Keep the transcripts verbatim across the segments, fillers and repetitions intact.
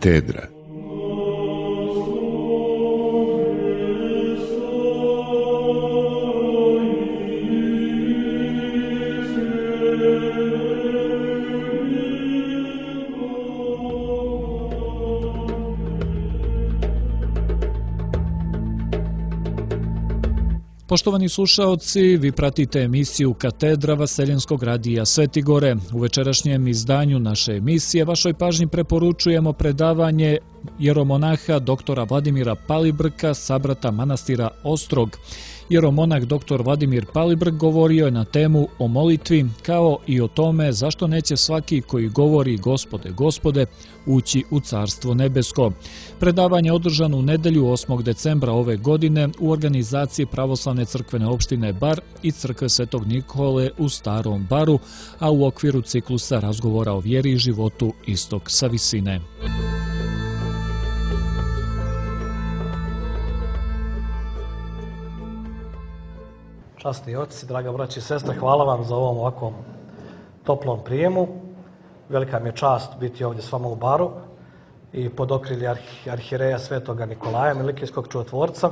Katedra. Poštovani slušaoci, vi pratite emisiju Katedra Vaseljenskog radija Sveti Gore. U večerašnjem izdanju naše emisije vašoj pažnji preporučujemo predavanje jeromonaha doktora Vladimira Palibrka, sabrata manastira Ostrog. Jeromonah doktor Vladimir Palibrk govorio je na temu o molitvi, kao i o tome zašto neće svaki koji govori Gospode, Gospode, ući u Carstvo nebesko. Predavanje je održano u nedelju osmog decembra ove godine u organizaciji Pravoslavne crkvene opštine Bar i Crkve Svetog Nikole u Starom Baru, a u okviru ciklusa razgovora o vjeri i životu Istok sa visine. Časni oci, draga braći i sestre, hvala vam za ovom ovakvom toplom prijemu. Velika mi je čast biti ovdje s vama u Baru i pod okrilje arhi, arhireja Svetoga Nikolaja, Milikijskog čudotvorca.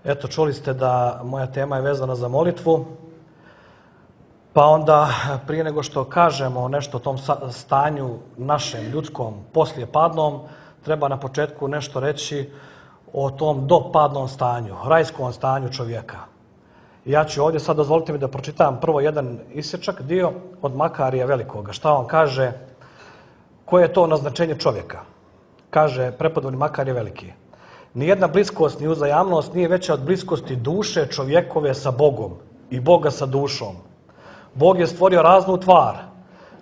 Eto, čuli ste da moja tema je vezana za molitvu, pa onda prije nego što kažemo nešto o tom stanju našem, ljudskom, poslije padnom, treba na početku nešto reći o tom dopadnom stanju, rajskom stanju čovjeka. Ja ću ovdje sad, dozvolite mi da pročitam prvo jedan isječak, dio od Makarija Velikoga. Šta on kaže? Koje je to naznačenje čovjeka? Kaže prepodobni Makarije Veliki. Nijedna bliskost ni uzajamnost nije veća od bliskosti duše čovjekove sa Bogom i Boga sa dušom. Bog je stvorio raznu tvar,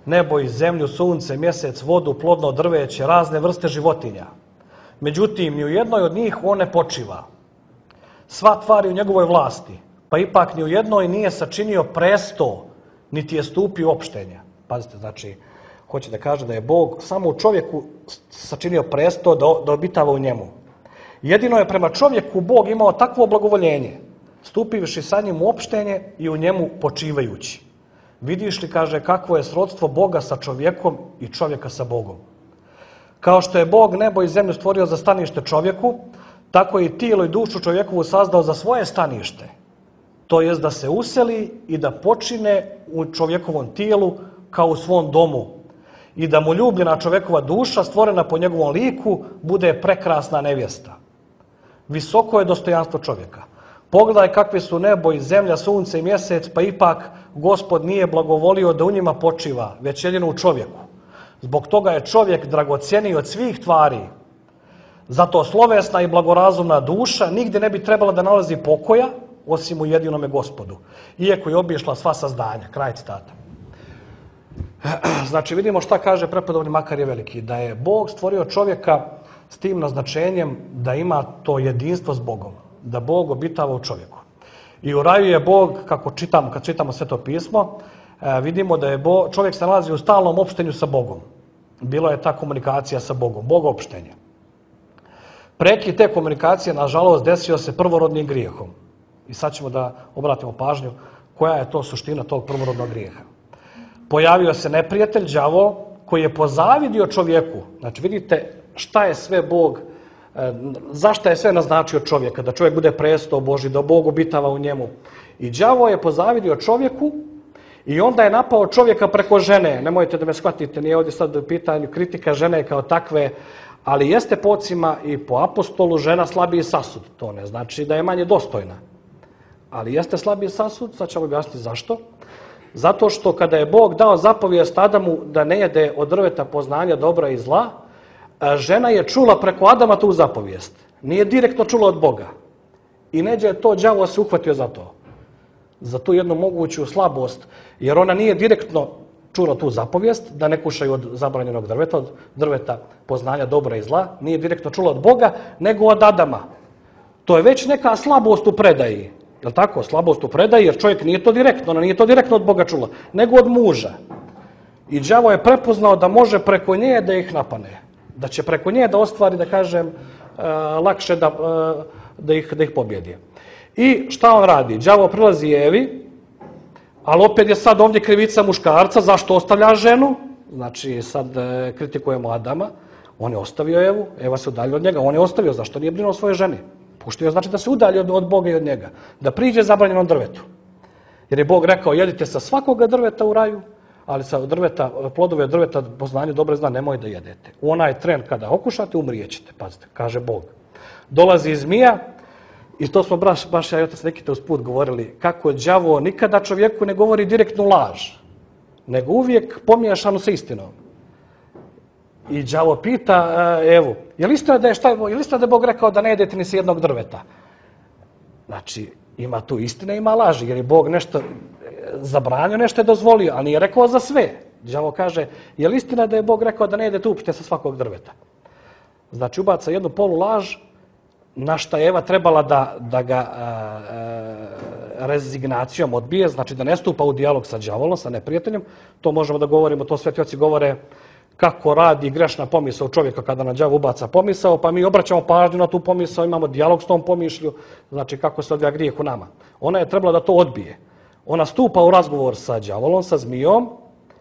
nebo i zemlju, sunce, mjesec, vodu, plodno drveće, razne vrste životinja. Međutim, ni u jednoj od njih on ne počiva. Sva tvar je u njegovoj vlasti, pa ipak ni u jednoj nije sačinio presto, niti je stupio u opštenje. Pazite, znači, hoće da kaže da je Bog samo u čovjeku sačinio presto da, da obitava u njemu. Jedino je prema čovjeku Bog imao takvo blagovoljenje, stupivši sa njim u opštenje i u njemu počivajući. Vidiš li, kaže, kakvo je srodstvo Boga sa čovjekom i čovjeka sa Bogom. Kao što je Bog nebo i zemlju stvorio za stanište čovjeku, tako je i tijelo i dušu čovjekovu sazdao za svoje stanište. To jest da se useli i da počine u čovjekovom tijelu kao u svom domu i da mu ljubljena čovjekova duša, stvorena po njegovom liku, bude prekrasna nevjesta. Visoko je dostojanstvo čovjeka. Pogledaj kakvi su nebo i zemlja, sunce i mjesec, pa ipak Gospod nije blagovolio da u njima počiva, već jedino u čovjeku. Zbog toga je čovjek dragocjeniji od svih tvari. Zato slovesna i blagorazumna duša nigdje ne bi trebala da nalazi pokoja, osim u jedinome Gospodu, iako je obišla sva sazdanja. Kraj citata. Znači, vidimo šta kaže prepodobni Makarije Veliki, da je Bog stvorio čovjeka s tim naznačenjem da ima to jedinstvo s Bogom, da Bog obitava u čovjeku. I u raju je Bog, kako čitamo, kad čitamo Sveto pismo, vidimo da je Bog, čovjek se nalazi u stalnom opštenju sa Bogom. Bilo je ta komunikacija sa Bogom, Bog opštenje. Prekid te komunikacije, nažalost, desio se prvorodnim grijehom. I sad ćemo da obratimo pažnju koja je to suština tog prvorodnog grijeha. Pojavio se neprijatelj, đavo, koji je pozavidio čovjeku. Znači, vidite šta je sve Bog, zašto je sve naznačio čovjeka, da čovjek bude presto Božji, da Bog obitava u njemu. I đavo je pozavidio čovjeku i onda je napao čovjeka preko žene. Nemojte da me shvatite, nije ovdje sad u pitanju kritika žene kao takve, ali jeste po ocima i po apostolu žena slabiji sasud. To ne znači da je manje dostojna. Ali jeste slabiji sasud, sad ćemo objasniti zašto. Zato što kada je Bog dao zapovijest Adamu da ne jede od drveta poznanja dobra i zla, žena je čula preko Adama tu zapovijest. Nije direktno čula od Boga. I neđe je to đavo se uhvatio za to. Za tu jednu moguću slabost. Jer ona nije direktno čula tu zapovijest da ne kušaju od zabranjenog drveta, od drveta poznanja dobra i zla. Nije direktno čula od Boga, nego od Adama. To je već neka slabost u predaji. Je li tako? Slabost u predaji, jer čovjek nije to direktno, ona nije to direktno od Boga čula, nego od muža. I đavo je prepoznao da može preko nje da ih napane. Da će preko nje da ostvari, da kažem, lakše da, da, ih, da ih pobjedi. I šta on radi? Đavo prilazi Evi, ali opet je sad ovdje krivica muškarca, zašto ostavlja ženu? Znači, sad kritikujemo Adama. On je ostavio Evu, Eva se udaljila od njega, on je ostavio, zašto nije brinuo o svojoj ženi? Pustio znači da se udalji od, od Boga i od njega, da priđe zabranjenom drvetu. Jer je Bog rekao, jedite sa svakoga drveta u raju, ali sa drveta, plodove drveta poznanje dobro zna, nemoj da jedete. U onaj tren kada okušate, umrijećete, pazite, kaže Bog. Dolazi zmija, i to smo baš, baš ja i otac Nikita usput govorili, kako đavo nikada čovjeku ne govori direktnu laž, nego uvijek pomiješanu sa istinom. I đavo pita Evu, je li istina da je, šta, je li istina da je Bog rekao da ne jedete ni s jednog drveta? Znači, ima tu istine, ima laži, jer je Bog nešto zabranio, nešto je dozvolio, ali nije rekao za sve. Đavo kaže, je li istina da je Bog rekao da ne jedete uopšte sa svakog drveta? Znači, ubaca jednu polu laž, na šta je Eva trebala da, da ga a, a, rezignacijom odbije, znači da ne stupa u dijalog sa đavolom, sa neprijateljem. To možemo da govorimo, to sveti oci govore kako radi grešna pomisao čovjeka kada na đavo ubaca pomisao, pa mi obraćamo pažnju na tu pomisao, imamo dijalog s tom pomišlju, znači kako se odvija grijeh u nama. Ona je trebala da to odbije. Ona stupa u razgovor sa đavolom, sa zmijom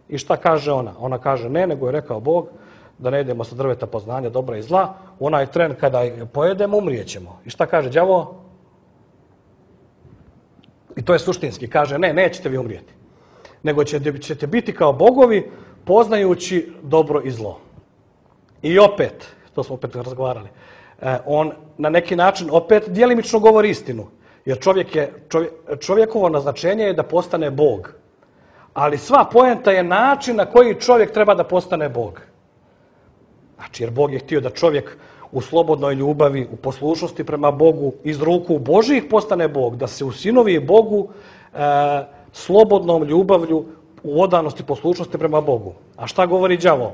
i šta kaže ona? Ona kaže ne, nego je rekao Bog da ne jedemo sa drveta poznanja dobra i zla. U onaj tren kada je pojedemo, umrijećemo. I šta kaže đavo? I to je suštinski. Kaže ne, nećete vi umrijeti. Nego ćete, ćete biti kao bogovi poznajući dobro i zlo. I opet, to smo opet razgovarali, on na neki način opet djelimično govori istinu. Jer čovjek je, čovjek, čovjekovo naznačenje je da postane Bog. Ali sva poenta je način na koji čovjek treba da postane Bog. Znači, jer Bog je htio da čovjek u slobodnoj ljubavi, u poslušnosti prema Bogu, iz ruku Božih postane Bog, da se usinovi Bogu e, slobodnom ljubavlju u odanosti poslušnosti prema Bogu. A šta govori đavo?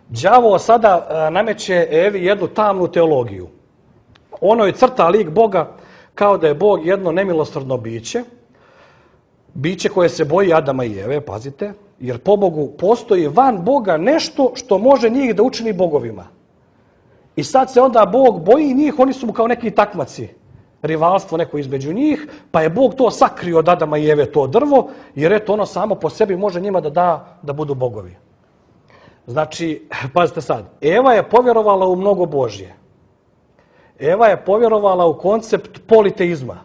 Đavo sada e, nameće Evi jednu tamnu teologiju. Ono je crta lik Boga kao da je Bog jedno nemilosrdno biće, biće koje se boji Adama i Eve, pazite, jer po Bogu postoji van Boga nešto što može njih da učini bogovima. I sad se onda Bog boji njih, oni su mu kao neki takmaci, rivalstvo neko između njih, pa je Bog to sakrio od Adama i Eve to drvo, jer eto ono samo po sebi može njima da da da budu bogovi. Znači, pazite sad, Eva je povjerovala u mnogo Božje. Eva je povjerovala u koncept politeizma.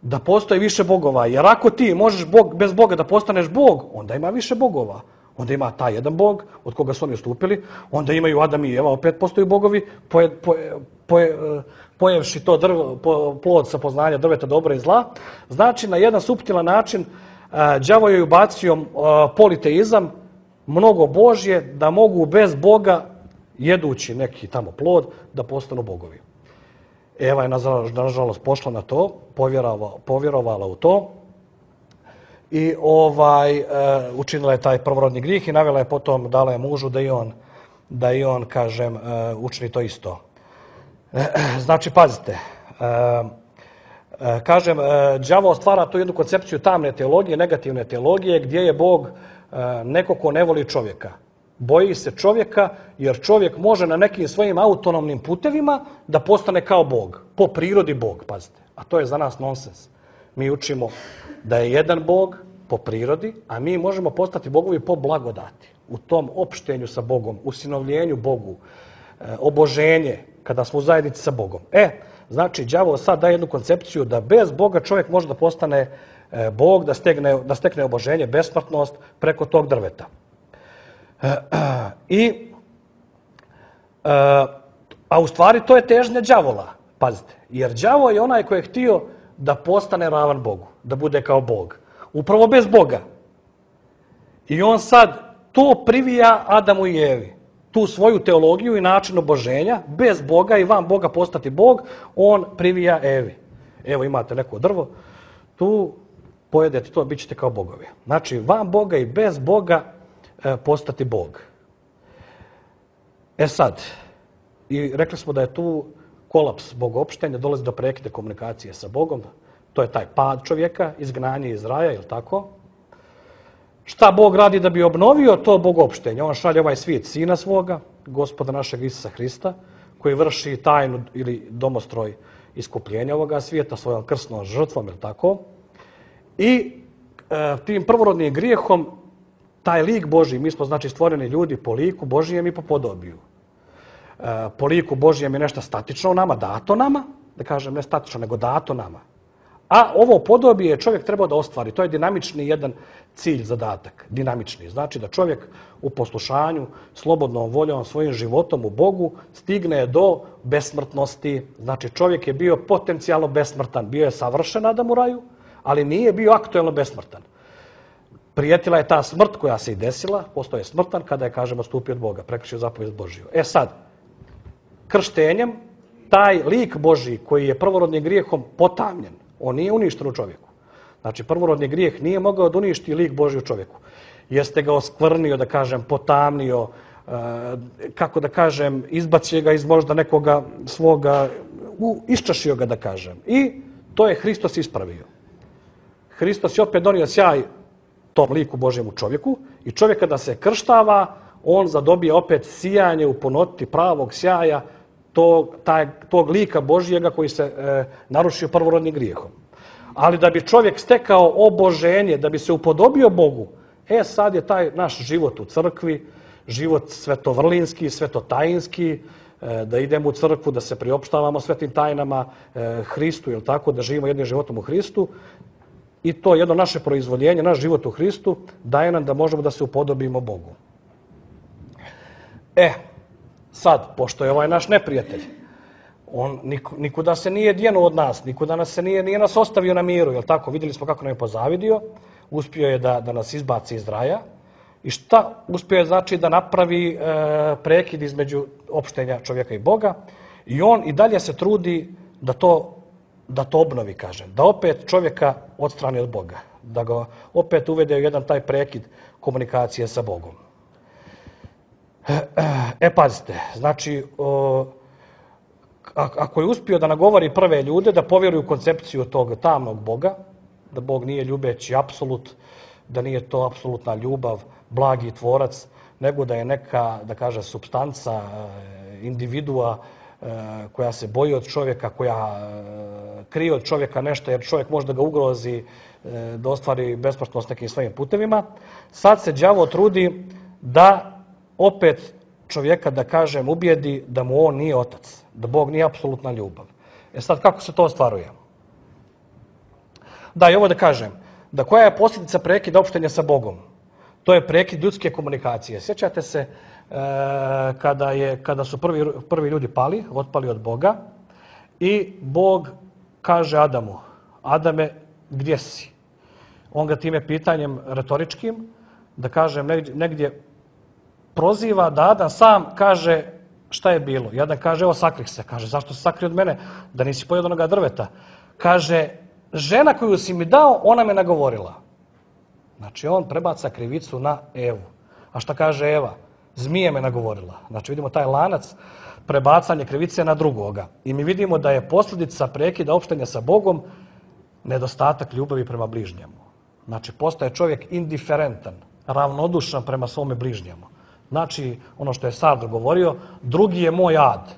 Da postoji više bogova. Jer ako ti možeš Bog, bez Boga da postaneš Bog, onda ima više bogova. Onda ima taj jedan Bog od koga su oni ustupili. Onda imaju Adam i Eva, opet postoji bogovi. Poje, poje, poje, pojevši to drvo, po, plod sa poznanja drveta dobra i zla. Znači, na jedan suptilan način đavo je ubacio politeizam, mnogo Božje, da mogu bez Boga, jedući neki tamo plod, da postanu bogovi. Eva je nažalost pošla na to, povjerovala, povjerovala u to i ovaj e, učinila je taj prvorodni grijeh i navela je potom, dala je mužu da i on, da i on kažem, e, učini to isto. E, znači, pazite, e, e, kažem, e, đavo stvara tu jednu koncepciju tamne teologije, negativne teologije, gdje je Bog e, neko ko ne voli čovjeka. Boji se čovjeka jer čovjek može na nekim svojim autonomnim putevima da postane kao Bog. Po prirodi Bog, pazite. A to je za nas nonsens. Mi učimo da je jedan Bog po prirodi, a mi možemo postati bogovi po blagodati. U tom opštenju sa Bogom, usinovljenju Bogu, oboženje, kada smo u zajednici sa Bogom. E, znači, đavo sad daje jednu koncepciju da bez Boga čovjek može da postane Bog, da stekne, da stekne oboženje, besmrtnost preko tog drveta. I, a u stvari to je težnja đavola, pazite, jer đavo je onaj koji je htio da postane ravan Bogu, da bude kao Bog, upravo bez Boga. I on sad to privija Adamu i Evi, tu svoju teologiju i način oboženja, bez Boga i van Boga postati Bog, on privija Evi. Evo imate neko drvo, tu pojedete to, bit ćete kao bogovi. Znači, van Boga i bez Boga postati Bog. E sad, i rekli smo da je tu kolaps bogopštenja, dolazi do prekida komunikacije sa Bogom, to je taj pad čovjeka, izgnanje iz raja, je li tako? Šta Bog radi da bi obnovio to bogopštenje? On šalje ovaj svijet sina svoga, Gospoda našeg Isusa Hrista, koji vrši tajnu ili domostroj iskupljenja ovoga svijeta svojom krsnom žrtvom, je li tako? I e, tim prvorodnim grijehom taj lik Božji, mi smo znači stvoreni ljudi po liku Božijem i po podobiju. po liku Božijem je nešto statično u nama, dato nama, da kažem ne statično, nego dato nama. A ovo podobije je čovjek trebao da ostvari. To je dinamični jedan cilj, zadatak. Dinamični. Znači da čovjek u poslušanju, slobodnom voljom, svojim životom u Bogu stigne do besmrtnosti. Znači čovjek je bio potencijalno besmrtan. Bio je savršen Adam u raju, ali nije bio aktuelno besmrtan. Prijetila je ta smrt koja se i desila, postao je smrtan kada je, kažemo, stupio od Boga, prekršio zapovijest Božiju. E sad, krštenjem, taj lik Božji koji je prvorodnim grijehom potamljen, on nije uništen u čovjeku. Znači, prvorodni grijeh nije mogao da uništi lik Božji u čovjeku. Jeste ga oskvrnio, da kažem, potamnio, kako da kažem, izbacio ga iz možda nekoga svoga, iščašio ga, da kažem. I to je Hristos ispravio. Hristos je opet donio sjaj tom liku Božjem u čovjeku i čovjek kada se krštava, on zadobije opet sijanje u punoti pravog sjaja tog, taj, tog lika Božjega koji se e, narušio prvorodnim grijehom. Ali da bi čovjek stekao oboženje, da bi se upodobio Bogu, e sad je taj naš život u crkvi, život svetovrlinski, svetotajinski, e, da idemo u crkvu, da se priopštavamo svetim tajnama e, Hristu, jel tako, da živimo jednim životom u Hristu. I to jedno naše proizvoljenje, naš život u Hristu, daje nam da možemo da se upodobimo Bogu. E, sad, pošto je ovaj naš neprijatelj, on nikuda se nije djenuo od nas, nikuda nas se nije, nije nas ostavio na miru, jel tako? Vidjeli smo kako nam je pozavidio, uspio je da, da nas izbaci iz raja. I šta uspio je znači da napravi e, prekid između opštenja čovjeka i Boga. I on i dalje se trudi da to da to obnovi, kažem, da opet čovjeka odstrani od Boga, da ga opet uvede u jedan taj prekid komunikacije sa Bogom. E, pazite, znači, o, ako je uspio da nagovori prve ljude da povjeruju koncepciju tog tamnog Boga, da Bog nije ljubeći apsolut, da nije to apsolutna ljubav, blagi tvorac, nego da je neka, da kaže, supstanca, individua, koja se boji od čovjeka, koja krije od čovjeka nešto jer čovjek može da ga ugrozi, da ostvari besmrtnost nekim svojim putevima. Sad se đavo trudi da opet čovjeka, da kažem, ubijedi da mu on nije otac, da Bog nije apsolutna ljubav. E sad, kako se to ostvaruje? Da, i ovo da kažem, da koja je posljedica prekida opštenja sa Bogom? To je prekid ljudske komunikacije. Sjećate se kada, je, kada su prvi, prvi ljudi pali, otpali od Boga i Bog kaže Adamu, Adame, gdje si? On ga time pitanjem retoričkim, da kažem, negdje, negdje proziva da Adam sam kaže šta je bilo. I Adam kaže, evo sakrih se. Kaže, zašto se sakri od mene? Da nisi pojeo od onoga drveta. Kaže, žena koju si mi dao, ona me nagovorila. Znači, on prebaca krivicu na Evu. A šta kaže Eva? Zmije me nagovorila. Znači vidimo taj lanac prebacanje krivice na drugoga. I mi vidimo da je posljedica prekida opštenja sa Bogom nedostatak ljubavi prema bližnjemu. Znači postaje čovjek indiferentan, ravnodušan prema svome bližnjemu. Znači ono što je Sardar govorio, drugi je moj ad.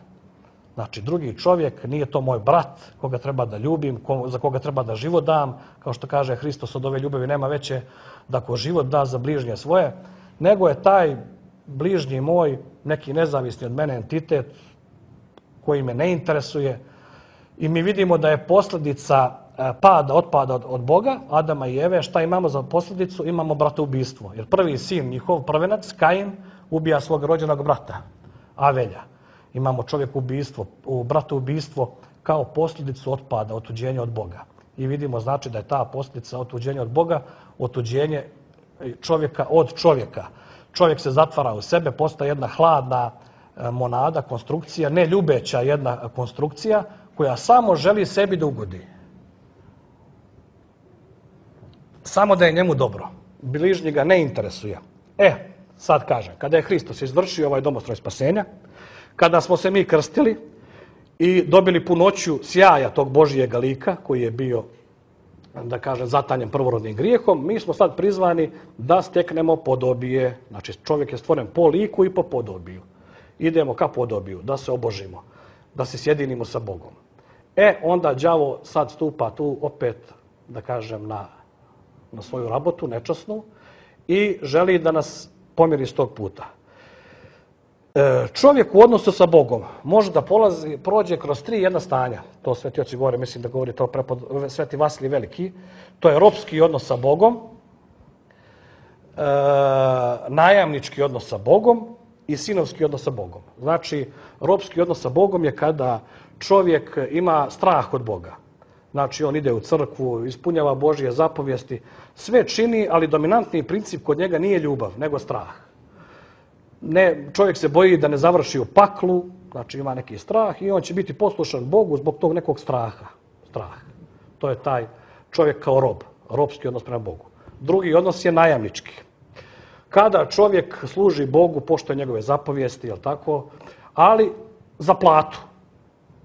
Znači drugi čovjek nije to moj brat koga treba da ljubim, za koga treba da život dam. Kao što kaže Hristos, od ove ljubavi nema veće da ko život da za bližnje svoje, nego je taj bližnji moj, neki nezavisni od mene entitet koji me ne interesuje. I mi vidimo da je posljedica pada, otpada od, od Boga, Adama i Eve. Šta imamo za posljedicu? Imamo bratoubistvo. Jer prvi sin, njihov prvenac, Kain, ubija svog rođenog brata, Avelja. Imamo čovjekubistvo, bratoubistvo kao posljedicu otpada, otuđenja od Boga. I vidimo znači da je ta posljedica otuđenja od Boga, otuđenje čovjeka od čovjeka. Čovjek se zatvara u sebe, postaje jedna hladna monada, konstrukcija, ne ljubeća jedna konstrukcija koja samo želi sebi da ugodi. Samo da je njemu dobro. Bližnji ga ne interesuje. E, sad kažem, kada je Hristos izvršio ovaj domostroj spasenja, kada smo se mi krstili i dobili punoću sjaja tog Božijega lika koji je bio, da kažem, zatanjen prvorodnim grijehom, mi smo sad prizvani da steknemo podobije. Znači čovjek je stvoren po liku i po podobiju. Idemo ka podobiju, da se obožimo, da se sjedinimo sa Bogom. E, onda đavo sad stupa tu opet, da kažem, na, na svoju rabotu, nečasnu, i želi da nas pomiri s tog puta. Čovjek u odnosu sa Bogom može da polazi, prođe kroz tri jedna stanja. To Sveti oci govore, mislim da govori to prepod Sveti Vasilij Veliki. To je ropski odnos sa Bogom, e, najamnički odnos sa Bogom i sinovski odnos sa Bogom. Znači, ropski odnos sa Bogom je kada čovjek ima strah od Boga. Znači, on ide u crkvu, ispunjava Božje zapovijesti, sve čini, ali dominantni princip kod njega nije ljubav, nego strah. Ne, čovjek se boji da ne završi u paklu, znači ima neki strah i on će biti poslušan Bogu zbog tog nekog straha. Strah. To je taj čovjek kao rob, robski odnos prema Bogu. Drugi odnos je najamnički. Kada čovjek služi Bogu, poštuje njegove zapovijesti, jel tako, ali za platu.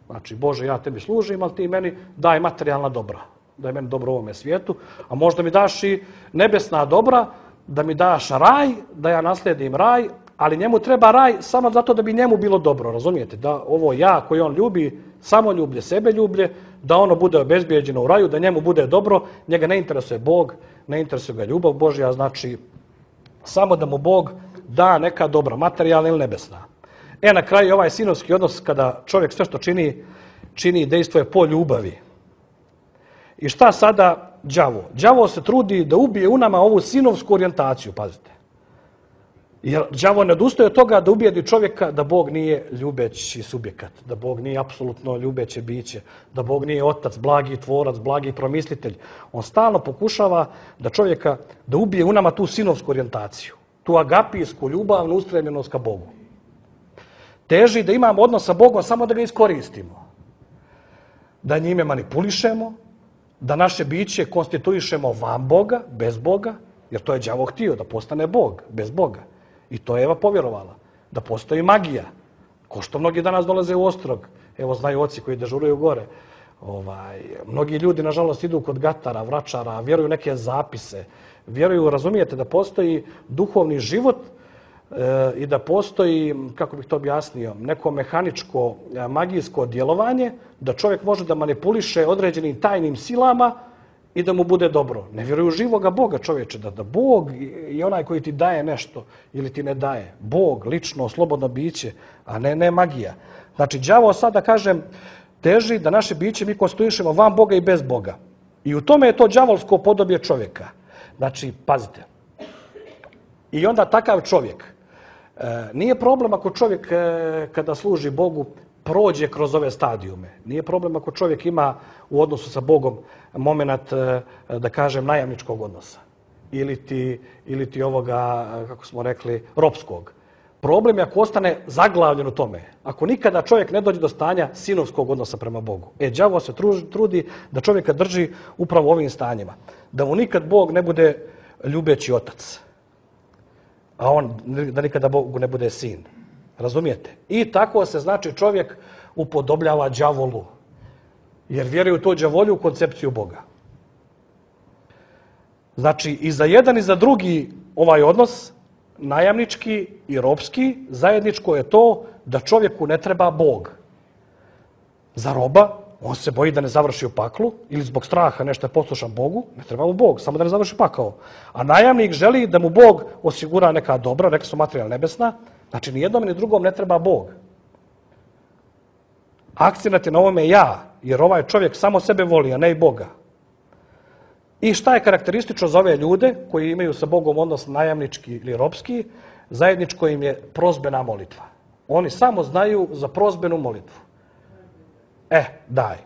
Znači, Bože, ja tebi služim, ali ti meni daj materijalna dobra. Daj meni dobro u ovome svijetu, a možda mi daš i nebesna dobra, da mi daš raj, da ja naslijedim raj, ali njemu treba raj samo zato da bi njemu bilo dobro, razumijete? Da ovo ja koji on ljubi, samoljublje, sebeljublje, da ono bude obezbijeđeno u raju, da njemu bude dobro, njega ne interesuje Bog, ne interesuje ga ljubav Božja, znači samo da mu Bog da neka dobra, materijalna ili nebesna. E, na kraju ovaj sinovski odnos kada čovjek sve što čini, čini dejstvo je po ljubavi. I šta sada đavo? Đavo se trudi da ubije u nama ovu sinovsku orijentaciju, pazite. Jer đavo ne odustaje od toga da ubijedi čovjeka da Bog nije ljubeći subjekat, da Bog nije apsolutno ljubeće biće, da Bog nije otac, blagi tvorac, blagi promislitelj. On stalno pokušava da čovjeka, da ubije u nama tu sinovsku orijentaciju, tu agapijsku, ljubavnu ustremljenost ka Bogu. Teži da imamo odnos sa Bogom samo da ga iskoristimo, da njime manipulišemo, da naše biće konstituišemo van Boga, bez Boga, jer to je đavo htio, da postane Bog, bez Boga. I to je Eva povjerovala, da postoji magija. Ko što mnogi danas dolaze u Ostrog, evo znaju oci koji dežuruju gore. Ovaj, mnogi ljudi, nažalost, idu kod gatara, vračara, vjeruju neke zapise, vjeruju, razumijete, da postoji duhovni život e, i da postoji, kako bih to objasnio, neko mehaničko, magijsko djelovanje, da čovjek može da manipuliše određenim tajnim silama i da mu bude dobro. Ne vjeruju živoga Boga, čovječe, da, da Bog je onaj koji ti daje nešto ili ti ne daje. Bog, lično, slobodno biće, a ne, ne magija. Znači, đavo sad, da kažem, teži da naše biće mi konstituišemo van Boga i bez Boga. I u tome je to đavolsko podobje čovjeka. Znači, pazite. I onda takav čovjek. E, nije problem ako čovjek e, kada služi Bogu prođe kroz ove stadijume. Nije problem ako čovjek ima u odnosu sa Bogom moment, da kažem, najamničkog odnosa. Ili ti, ili ti ovoga, kako smo rekli, ropskog. Problem je ako ostane zaglavljen u tome. Ako nikada čovjek ne dođe do stanja sinovskog odnosa prema Bogu. E, đavo se trudi da čovjeka drži upravo u ovim stanjima. Da mu nikad Bog ne bude ljubeći otac. A on, da nikada Bogu ne bude sin. Razumijete? I tako se, znači, čovjek upodobljava đavolu. Jer vjeruje u to đavolju, u koncepciju Boga. Znači, i za jedan i za drugi ovaj odnos, najamnički i ropski, zajedničko je to da čovjeku ne treba Bog. Za roba, on se boji da ne završi u paklu ili zbog straha nešto je poslušan Bogu, ne treba mu Bog, samo da ne završi pakao. A najamnik želi da mu Bog osigura neka dobra, rekli su materijalna nebesna. Znači, ni jednom ni drugom ne treba Bog. Akcenat je na ovome ja, jer ovaj čovjek samo sebe voli, a ne i Boga. I šta je karakteristično za ove ljude koji imaju sa Bogom odnos najamnički ili ropski? Zajedničko im je prozbena molitva. Oni samo znaju za prozbenu molitvu. E, daj.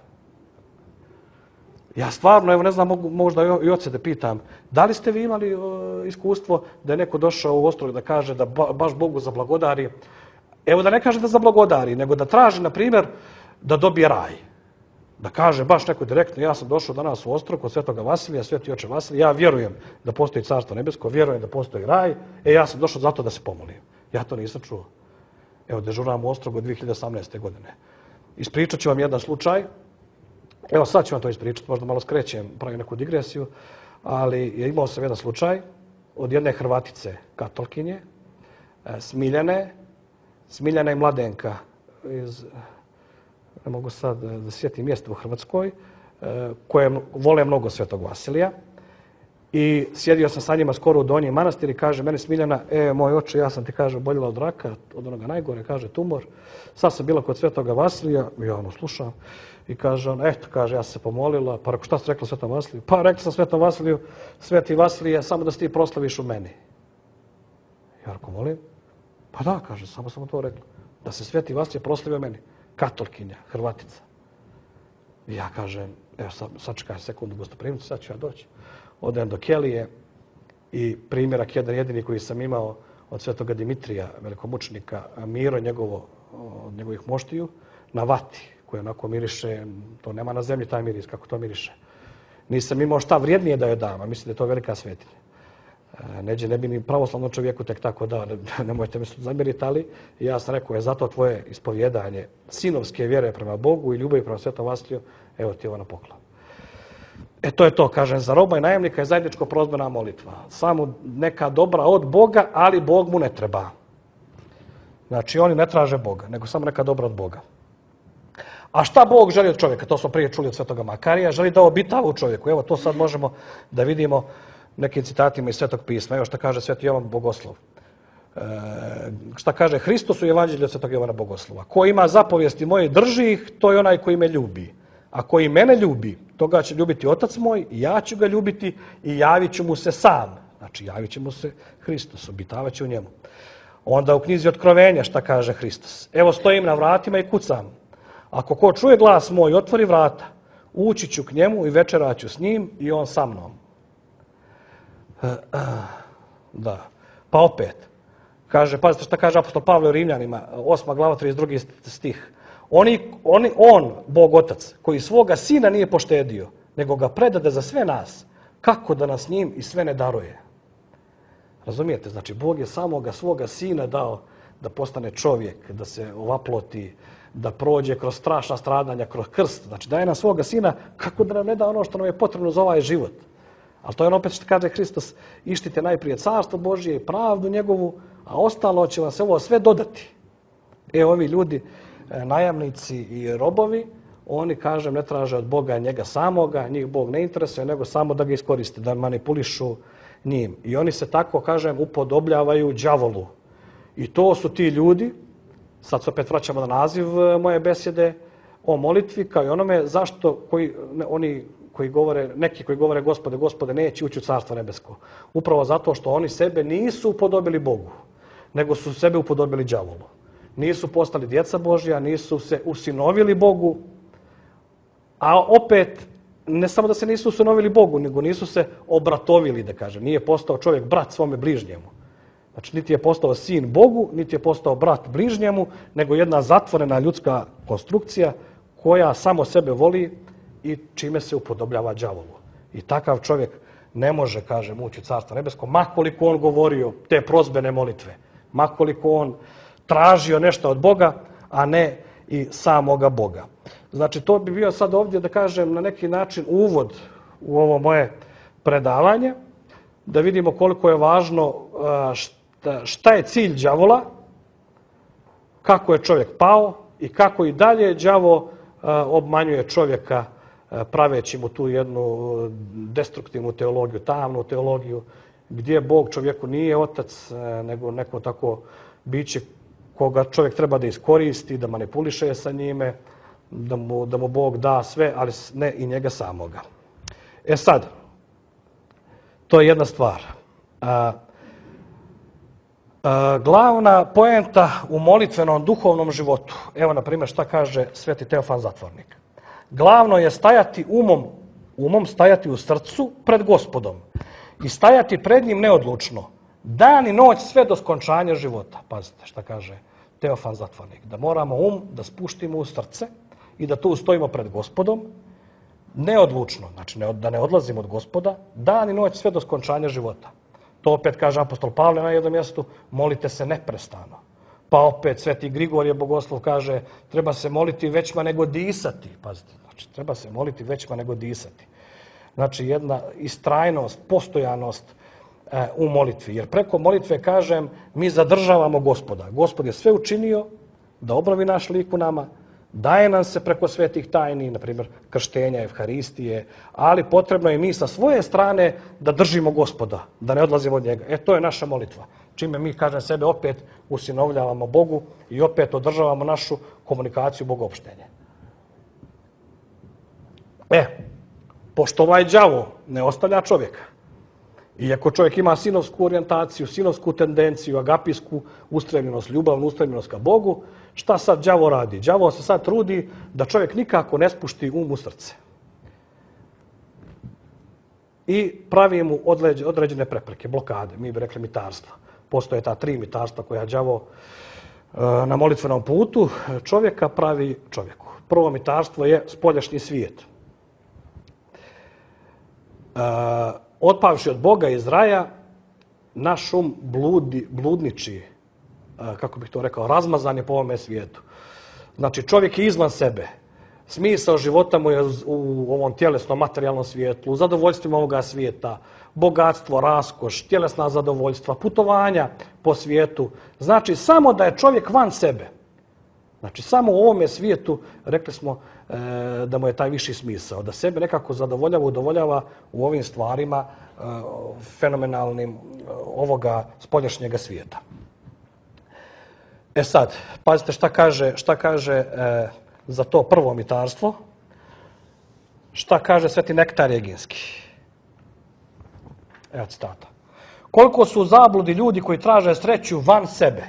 Ja stvarno, evo ne znam, mogu možda i oce da pitam, da li ste vi imali uh, iskustvo da je neko došao u Ostrog da kaže da ba, baš Bogu zablagodari? Evo da ne kaže da zablagodari, nego da traži, na primjer, da dobije raj. Da kaže baš neko direktno, ja sam došao danas u Ostrog od Svetoga Vasilija, Sveti oče Vasilij, ja vjerujem da postoji Carstvo nebesko, vjerujem da postoji raj, e ja sam došao zato da se pomolim. Ja to nisam čuo. Evo, dežuram u Ostrogu od dvije hiljade osamnaeste. godine. Ispričat ću vam jedan slučaj. Evo sad ću vam to ispričati, možda malo skrećem, pravim neku digresiju, ali je imao sam jedan slučaj od jedne Hrvatice, katolkinje, Smiljane, Smiljana i Mladenka, iz, ne mogu sad da sjetim mjesto u Hrvatskoj, koje vole mnogo Svetog Vasilija. I sjedio sam sa njima skoro u Donji Manastir i kaže meni Smiljana, e, moj oče, ja sam ti, kaže, oboljela od raka, od onoga najgore, kaže, tumor. Sad sam bila kod Svetoga Vasilija, ja ono slušam, i kaže on, eto, kaže, ja sam se pomolila, pa rekao, šta si rekla Svetom Vasiliju? Pa rekla sam Svetom Vasiliju, Sveti Vasilije, samo da se ti proslaviš u meni. Ja rekao, molim? Pa da, kaže, samo sam mu to rekla. Da se Sveti Vasilije proslavio meni. Katolkinja, Hrvatica. I ja kažem, evo sad, sad čekaj sekundu gostoprimcu, sad ću ja doći. Odem do Kelije i primjerak jedan jedini koji sam imao od Svetoga Dimitrija, velikomučnika, Miro, njegovo, od njegovih moštiju, na vati, koji onako miriše, to nema na zemlji taj miris, kako to miriše. Nisam imao šta vrijednije da joj dam, a mislim da je to velika svetinja. Neđe ne bi ni pravoslavnom čovjeku tek tako dao, ne, nemojte mi zamjeriti, ali ja sam rekao, je zato tvoje ispovjedanje sinovske vjere prema Bogu i ljubavi prema Svetom Vasiliju, evo ti ovo na poklon. E to je to, kažem, za roba i najemnika je zajedničko prozbena molitva. Samo neka dobra od Boga, ali Bog mu ne treba. Znači, oni ne traže Boga, nego samo neka dobra od Boga. A šta Bog želi od čovjeka? To smo prije čuli od Svetoga Makarija. Želi da obitava u čovjeku. Evo, to sad možemo da vidimo nekim citatima iz Svetog pisma. Evo šta kaže Sveti Jovan Bogoslov. E, šta kaže Hristos u Evanđelju od Svetog Jovana Bogoslova. Ko ima zapovijesti moje, drži ih, to je onaj koji me ljubi. A koji mene ljubi, toga će ljubiti Otac moj, i ja ću ga ljubiti i javit ću mu se sam. Znači, javit će mu se Hristos, obitavat će u njemu. Onda u knjizi Otkrovenja šta kaže Hristos. Evo stojim na vratima i kucam. Ako ko čuje glas moj, otvori vrata, ući ću k njemu i večeraću s njim i on sa mnom. Da. Pa opet, kaže, pazite šta kaže apostol Pavle u Rimljanima, osma glava, trideset drugi stih. Oni, oni, on, Bog Otac, koji svoga sina nije poštedio, nego ga predade za sve nas, kako da nas njim i sve ne daruje. Razumijete? Znači, Bog je samoga svoga sina dao da postane čovjek, da se ovaploti, da prođe kroz strašna stradanja, kroz krst. Znači, daje nam svoga sina, kako da nam ne da ono što nam je potrebno za ovaj život. Ali to je ono opet što kaže Hristos, ištite najprije carstvo Božje i pravdu njegovu, a ostalo će vam se ovo sve dodati. E, ovi ljudi, najamnici i robovi, oni, kažem, ne traže od Boga njega samoga, njih Bog ne interesuje, nego samo da ga iskoriste, da manipulišu njim. I oni se tako, kažem, upodobljavaju đavolu. I to su ti ljudi, sad se opet vraćamo na naziv moje besjede, o molitvi, kao i onome zašto koji, oni koji govore, neki koji govore Gospode, Gospode, neće ući u Carstvo nebesko. Upravo zato što oni sebe nisu upodobili Bogu, nego su sebe upodobili đavolu. Nisu postali djeca Božja, nisu se usinovili Bogu, a opet, ne samo da se nisu usinovili Bogu, nego nisu se obratovili, da kažem. Nije postao čovjek brat svome bližnjemu. Znači, niti je postao sin Bogu, niti je postao brat bližnjemu, nego jedna zatvorena ljudska konstrukcija koja samo sebe voli i čime se upodobljava đavolu. I takav čovjek ne može, kažem, ući u Carstvo nebesko, makoliko on govorio te prozbene molitve, makoliko on tražio nešto od Boga, a ne i samoga Boga. Znači, to bi bio sad ovdje, da kažem, na neki način uvod u ovo moje predavanje, da vidimo koliko je važno šta, šta je cilj đavola, kako je čovjek pao i kako i dalje đavo obmanjuje čovjeka praveći mu tu jednu destruktivnu teologiju, tamnu teologiju, gdje Bog čovjeku nije otac, nego neko tako biće koga čovjek treba da iskoristi, da manipuliše sa njime, da mu, da mu Bog da sve, ali ne i njega samoga. E sad, to je jedna stvar. A, a, glavna poenta u molitvenom duhovnom životu, evo na primjer šta kaže Sveti Teofan Zatvornik. Glavno je stajati umom, umom stajati u srcu pred Gospodom i stajati pred njim neodlučno, dan i noć sve do skončanja života. Pazite šta kaže Teofan Zatvornik. Da moramo um da spuštimo u srce i da tu ustojimo pred Gospodom neodlučno, znači ne, da ne odlazimo od Gospoda, dan i noć sve do skončanja života. To opet kaže apostol Pavle na jednom mjestu, molite se neprestano. Pa opet Sveti Grigorije Bogoslov kaže, treba se moliti većma nego disati. Pazite, znači treba se moliti većma nego disati. Znači jedna istrajnost, postojanost e, u molitvi. Jer preko molitve, kažem, mi zadržavamo Gospoda. Gospod je sve učinio da obnovi naš lik u nama, Daje nam se preko svetih tajni, na primjer krštenja, evharistije, ali potrebno je mi sa svoje strane da držimo Gospoda, da ne odlazimo od njega. E, to je naša molitva. Čime mi, kažem, sebe opet usinovljavamo Bogu i opet održavamo našu komunikaciju bogopštenje. E, pošto ovaj đavo ne ostavlja čovjeka, iako čovjek ima sinovsku orijentaciju, sinovsku tendenciju, agapijsku ustremljenost, ljubavnu ustremljenost ka Bogu, šta sad đavo radi? Đavo se sad trudi da čovjek nikako ne spušti um u srce. I pravi mu određene prepreke, blokade, mi bi rekli mitarstva. Postoje ta tri mitarstva koja đavo na molitvenom putu čovjeka pravi čovjeku. Prvo mitarstvo je spoljašnji svijet. Otpavši od Boga iz raja, naš um bludi, bludniči, kako bih to rekao, razmazan je po ovome svijetu. Znači, čovjek je izvan sebe. Smisao života mu je u ovom tjelesnom, materijalnom svijetu, u zadovoljstvima ovoga svijeta, bogatstvo, raskoš, tjelesna zadovoljstva, putovanja po svijetu. Znači, samo da je čovjek van sebe. Znači, samo u ovome svijetu, rekli smo e, da mu je taj viši smisao, da sebe nekako zadovoljava, udovoljava u ovim stvarima e, fenomenalnim e, ovoga spoljašnjega svijeta. E sad, pazite šta kaže, šta kaže e, za to prvo mitarstvo, šta kaže Sveti Nektar Eginski. Evo citata. Koliko su u zabludi ljudi koji traže sreću van sebe,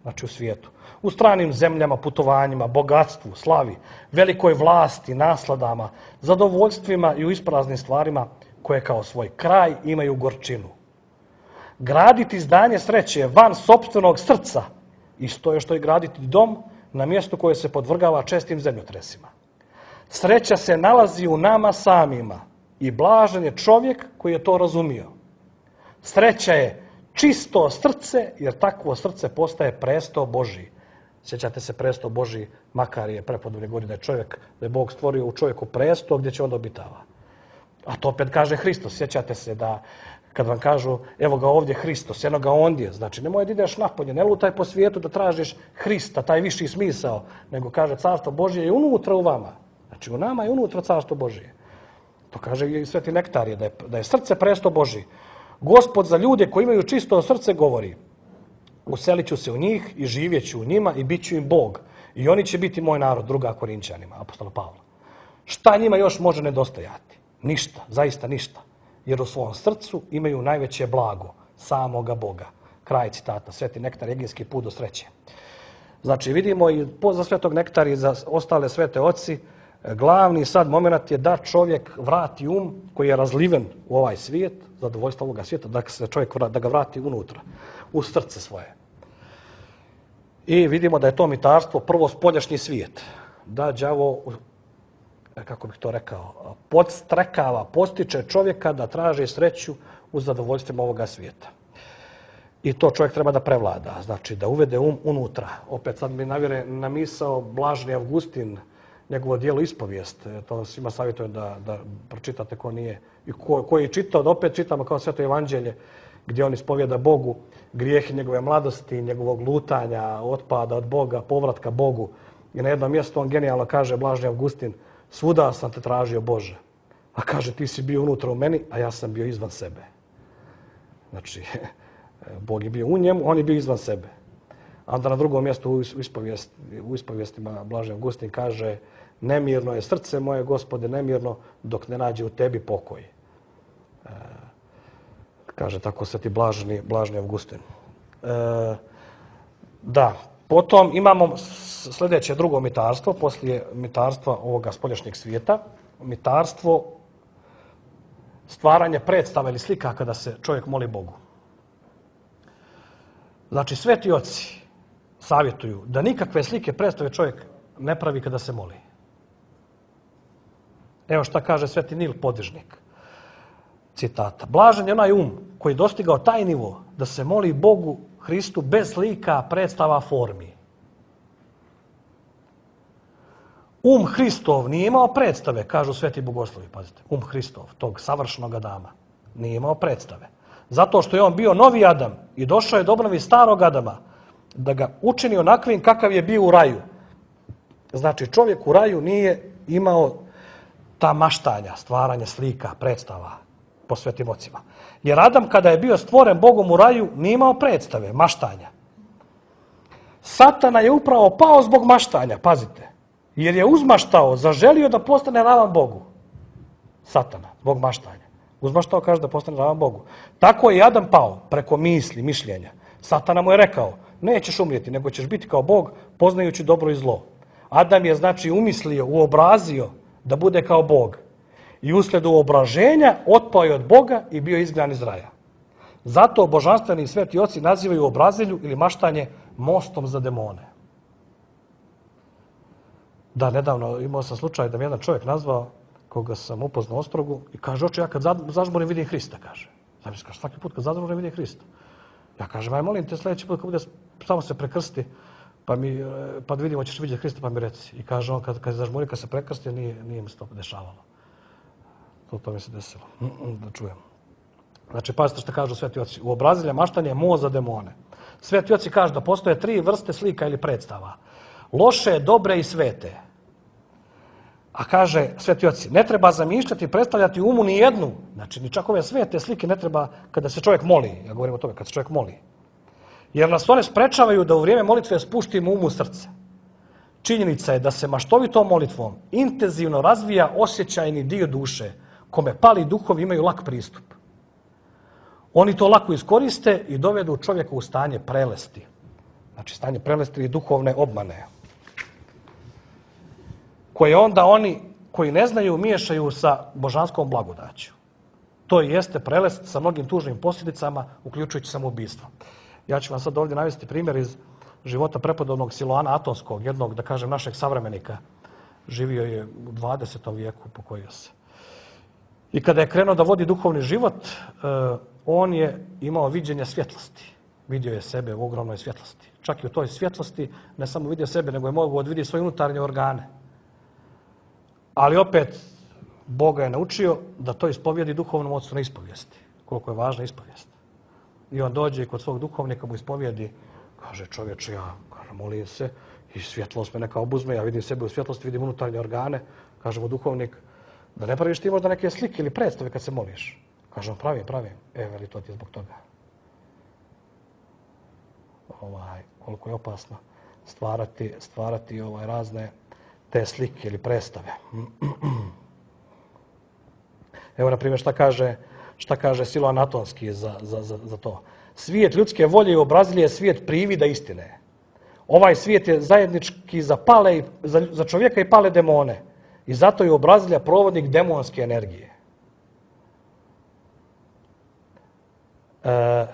znači u svijetu, u stranim zemljama, putovanjima, bogatstvu, slavi, velikoj vlasti, nasladama, zadovoljstvima i u ispraznim stvarima koje kao svoj kraj imaju gorčinu. Graditi zdanje sreće van sopstvenog srca, isto je što i graditi dom na mjestu koje se podvrgava čestim zemljotresima. Sreća se nalazi u nama samima i blažen je čovjek koji je to razumio. Sreća je čisto srce, jer takvo srce postaje presto Božji. Sjećate se presto Božji, makar je prepodobne godine čovjek, da je Bog stvorio u čovjeku presto gdje će on obitava. A to opet kaže Hristos. Sjećate se da kad vam kažu evo ga ovdje Hristos, eno ga ondje, znači nemoj da ideš napolje, ne lutaj po svijetu da tražiš Hrista, taj viši smisao, nego kaže carstvo Božje je unutra u vama. Znači u nama je unutra carstvo Božje. To kaže i Sveti Nektarije, da je, da je srce presto Božji. Gospod za ljude koji imaju čisto srce govori, uselit ću se u njih i živjet ću u njima i bit ću im Bog. I oni će biti moj narod, druga Korinčanima, apostola Pavla. Šta njima još može nedostajati? Ništa, zaista ništa. Jer u svom srcu imaju najveće blago, samoga Boga. Kraj citata, Sveti Nektar Eginski, put do sreće. Znači vidimo i za Svetog Nektara i za ostale svete oci, glavni sad moment je da čovjek vrati um koji je razliven u ovaj svijet, zadovoljstvo ovoga svijeta, da se čovjek da ga vrati unutra, u srce svoje. I vidimo da je to mitarstvo prvo spoljašnji svijet. Da đavo, kako bih to rekao, podstrekava, postiče čovjeka da traži sreću u zadovoljstvima ovoga svijeta. I to čovjek treba da prevlada, znači da uvede um unutra. Opet sad mi navire na misao Blaženi Avgustin, njegovo dijelo Ispovijest. To svima savjetujem da, da pročitate ko nije. I ko, ko je čitao, da opet čitamo kao Sveto evanđelje, gdje on ispovjeda Bogu grijehe njegove mladosti, njegovog lutanja, otpada od Boga, povratka Bogu. I na jednom mjestu on genijalno kaže, Blaženi Avgustin, svuda sam te tražio Bože. A kaže, ti si bio unutra u meni, a ja sam bio izvan sebe. Znači, Bog je bio u njemu, on je bio izvan sebe. A onda na drugom mjestu u, ispovijest, u ispovijestima Blaženi Avgustin kaže, nemirno je srce moje, Gospode, nemirno, dok ne nađe u tebi pokoj. E, kaže tako Sveti Blaženi, Blaženi Avgustin. E, da, potom imamo sljedeće drugo mitarstvo, poslije mitarstva ovoga spoljašnjeg svijeta, mitarstvo stvaranje predstava ili slika kada se čovjek moli Bogu. Znači, sveti oci savjetuju da nikakve slike predstave čovjek ne pravi kada se moli. Evo šta kaže Sveti Nil Podižnik. Citata. Blažen je onaj um koji je dostigao taj nivo da se moli Bogu Hristu bez slika, predstava, formi. Um Hristov nije imao predstave, kažu sveti bogoslovi, pazite. Um Hristov, tog savršenog Adama, nije imao predstave. Zato što je on bio novi Adam i došao je do obnovi starog Adama, da ga učini onakvim kakav je bio u raju. Znači, čovjek u raju nije imao ta maštanja, stvaranje slika, predstava po svetim ocima. Jer Adam, kada je bio stvoren Bogom u raju, nije imao predstave, maštanja. Satana je upravo pao zbog maštanja, pazite. Jer je uzmaštao, zaželio da postane ravan Bogu. Satana, zbog maštanja. Uzmaštao kaže da postane ravan Bogu. Tako je i Adam pao, preko misli, mišljenja. Satana mu je rekao, nećeš umrijeti, nego ćeš biti kao Bog, poznajući dobro i zlo. Adam je, znači, umislio, uobrazio da bude kao Bog. I uslijed uobraženja otpao je od Boga i bio izgnan iz raja. Zato božanstveni i sveti oci nazivaju obrazilju ili maštanje mostom za demone. Da, nedavno imao sam slučaj da mi jedan čovjek nazvao, koga sam upoznao u Ostrogu, i kaže, oče, ja kad zažmurim vidim Hrista, kaže. Znam mi kaže, svaki put kad zažmurim vidim Hrista. Ja kažem, aj molim te sljedeći put kad bude samo se prekrsti, pa, mi, pa da vidimo ćeš vidjeti Hrista, pa mi reci. I kaže on, kad, kad zažmuri, kad se prekrsti, nije, nije mi se to dešavalo. To, to mi se desilo. Da čujem. Znači, pazite što kažu sveti oci. U obrazilja maštanje je moz za demone. Sveti oci kažu da postoje tri vrste slika ili predstava. Loše, dobre i svete. A kaže sveti oci, ne treba zamišljati i predstavljati umu ni jednu. Znači, ni čak ove svete slike ne treba kada se čovjek moli. Ja govorim o tome, kada se čovjek moli. Jer nas one sprečavaju da u vrijeme molitve spuštimo umu u srce. Činjenica je da se maštovitom molitvom intenzivno razvija osjećajni dio duše, kome pali duhovi imaju lak pristup. Oni to lako iskoriste i dovedu čovjeka u stanje prelesti. Znači, stanje prelesti i duhovne obmane. Koje onda oni koji ne znaju miješaju sa božanskom blagodaću. To i jeste prelest sa mnogim tužnim posljedicama, uključujući samoubistvo. Ja ću vam sad ovdje navesti primjer iz života prepodobnog Siloana Atonskog, jednog, da kažem, našeg savremenika. Živio je u dvadesetom vijeku, pokojio se. I kada je krenuo da vodi duhovni život, on je imao viđenje svjetlosti. Vidio je sebe u ogromnoj svjetlosti. Čak i u toj svjetlosti ne samo vidio sebe, nego je mogao da vidi svoje unutarnje organe. Ali opet, Boga je naučio da to ispovijedi duhovnom ocu na ispovijesti. Koliko je važna ispovijest. I on dođe i kod svog duhovnika mu ispovijedi, kaže, čovječe, ja kaže, molim se i svjetlost me neka obuzme, ja vidim sebe u svjetlosti, vidim unutarnje organe. Kaže mu duhovnik, da ne praviš ti možda neke slike ili predstave kad se moliš. Kaže on, pravim, pravim. E, veli, to ti je zbog toga. Ovaj, koliko je opasno stvarati, stvarati ovaj, razne te slike ili predstave. Evo, na primjer, šta kaže, šta kaže Siloan Atonski za, za, za, za to. Svijet ljudske volje i obrazilje je svijet privida istine. Ovaj svijet je zajednički za, pale, za, za čovjeka i pale demone. I zato je obrazilja provodnik demonske energije. E,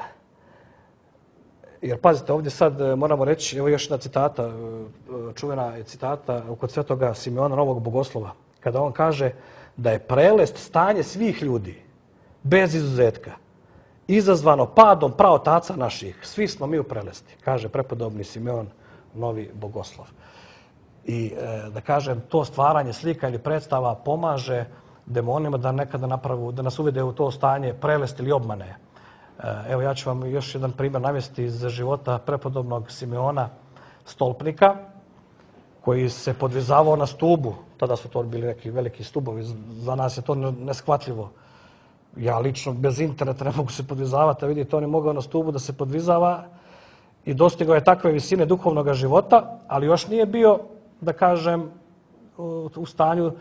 jer pazite, ovdje sad moramo reći, evo još jedna citata, čuvena je citata kod svetoga Simeona Novog Bogoslova, kada on kaže da je prelest stanje svih ljudi, bez izuzetka, izazvano padom praotaca naših. Svi smo mi u prelesti, kaže prepodobni Simeon Novi Bogoslov. I da kažem, to stvaranje slika ili predstava pomaže demonima da nekada napravu, da nas uvede u to stanje prelesti ili obmane. Evo, ja ću vam još jedan primjer navesti iz života prepodobnog Simeona Stolpnika, koji se podvizavao na stubu. Tada su to bili neki veliki stubovi. Za nas je to neshvatljivo. Ja lično bez interneta ne mogu se podvizavati, a vidite, on je mogao na stubu da se podvizava i dostigao je takve visine duhovnog života, ali još nije bio, da kažem, u stanju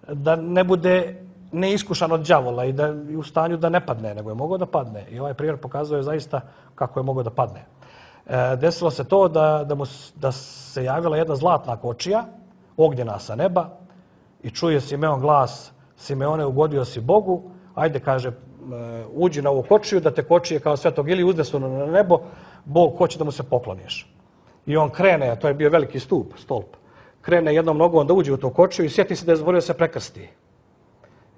da ne bude neiskušan od đavola i da je u stanju da ne padne, nego je mogao da padne. I ovaj primjer pokazuje zaista kako je mogao da padne. E, desilo se to da, da, mu, da se javila jedna zlatna kočija, ognjena sa neba, i čuje Simeon glas, Simeone, ugodio si Bogu, ajde, kaže, uđi na ovu kočiju, da te kočije kao svetog ili uznesu na nebo, Bog hoće da mu se pokloniš. I on krene, a to je bio veliki stup, stolp, krene jednom nogom da uđe u tu kočiju i sjeti se da je zaboravio se prekrsti.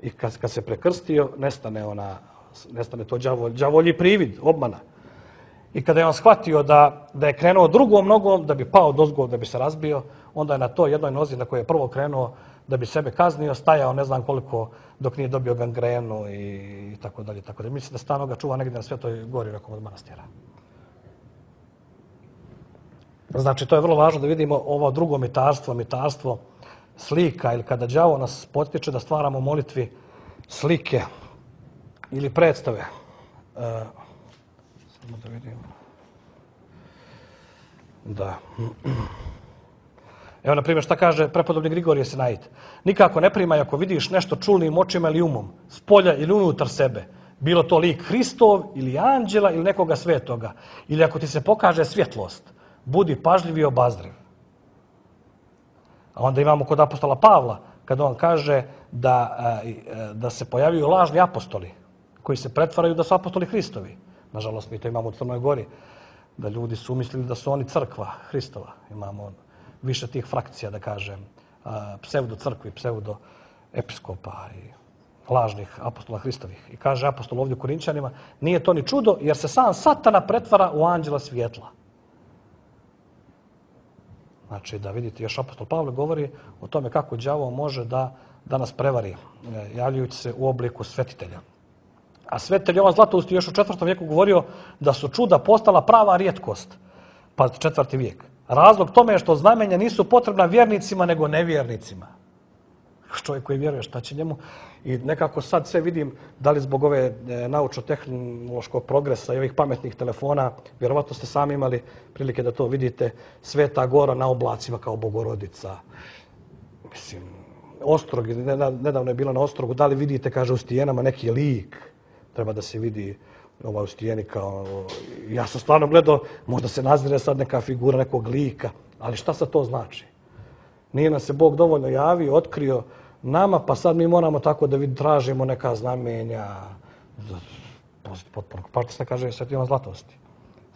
I kad, kad se prekrstio, nestane, ona, nestane to đavolj, đavolji privid, obmana. I kada je on shvatio da, da je krenuo drugom nogom, da bi pao dozgo, da bi se razbio, onda je na to jednoj nozi na kojoj je prvo krenuo da bi sebe kaznio, stajao ne znam koliko dok nije dobio gangrenu i, i tako dalje. Tako dalje. Mislim da stano ga čuva negdje na Svetoj gori nekom od manastira. Znači, to je vrlo važno da vidimo ovo drugo mitarstvo, mitarstvo slika, ili kada đavo nas potiče da stvaramo u molitvi slike ili predstave. Uh, samo da vidimo. Da. Evo, na primjer, šta kaže prepodobni Grigorije Sinaid? Nikako ne primaj ako vidiš nešto čulnim očima ili umom, s polja ili unutar sebe. Bilo to lik Hristov ili anđela ili nekoga svetoga. Ili ako ti se pokaže svjetlost, budi pažljiv i obazriv. A onda imamo kod apostola Pavla, kada on kaže da, da se pojavljuju lažni apostoli, koji se pretvaraju da su apostoli Hristovi. Nažalost, mi to imamo u Crnoj Gori, da ljudi su umislili da su oni crkva Hristova. Imamo više tih frakcija, da kažem, pseudo crkvi, pseudo episkopa i lažnih apostola Hristovih. I kaže apostol ovdje u Korinčanima, nije to ni čudo, jer se sam Satana pretvara u anđela svjetla. Znači, da vidite, još apostol Pavle govori o tome kako đavo može da, da nas prevari, javljajući se u obliku svetitelja. A svetitelj Jovan Zlatoust još u četvrtom vijeku govorio da su čuda postala prava rijetkost. Pa četvrti vijek. Razlog tome je što znamenja nisu potrebna vjernicima, nego nevjernicima. Čovjek koji vjeruje, šta će njemu? I nekako sad sve vidim, da li zbog ove naučno-tehnološkog progresa i ovih pametnih telefona, vjerovatno ste sami imali prilike da to vidite, Sveta Gora na oblacima kao Bogorodica. Mislim, Ostrog, nedavno je bilo na Ostrogu, da li vidite, kaže, u stijenama neki lik, treba da se vidi ovaj u stijeni kao... Ja sam stvarno gledao, možda se nazire sad neka figura nekog lika, ali šta sad to znači? Nije nam se Bog dovoljno javio, otkrio nama, pa sad mi moramo tako da tražimo neka znamenja. Potpuno partisna kaže Sveti Jovan Zlatosti.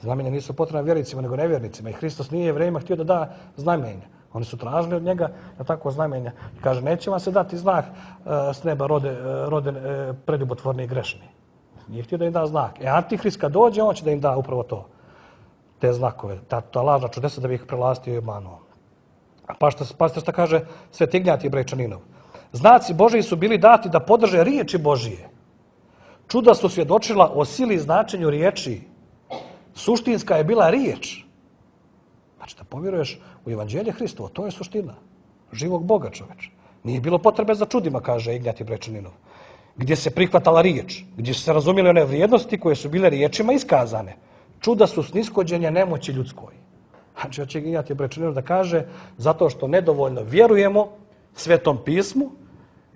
Znamenja nisu potrebna vjernicima, nego nevjernicima. I Hristos nije Jevrejima htio da da znamenja. Oni su tražili od njega na tako znamenja. Kaže, neće vam se dati znak uh, s neba rode, uh, rode uh, preljubotvorni i grešni. Nije htio da im da znak. E, Antihrist kad dođe, on će da im da upravo to. Te znakove, ta, ta lažna čudesa da bi ih prelastio i obmanuo. Pa što, pa što kaže Sveti Ignjatije Brejčaninov. Znaci Božiji su bili dati da podrže riječi Božije. Čuda su svjedočila o sili i značenju riječi. Suštinska je bila riječ. Znači da povjeruješ u Evanđelje Hristovo, to je suština. Živog Boga, čoveč. Nije bilo potrebe za čudima, kaže Ignjatije Brejčaninov. Gdje se prihvatala riječ, gdje su se razumjeli one vrijednosti koje su bile riječima iskazane. Čuda su snishođenje nemoći ljudskoj. Znači, hoće Ignjatije Brejčaninov da kaže, zato što nedovoljno vjerujemo Svetom pismu,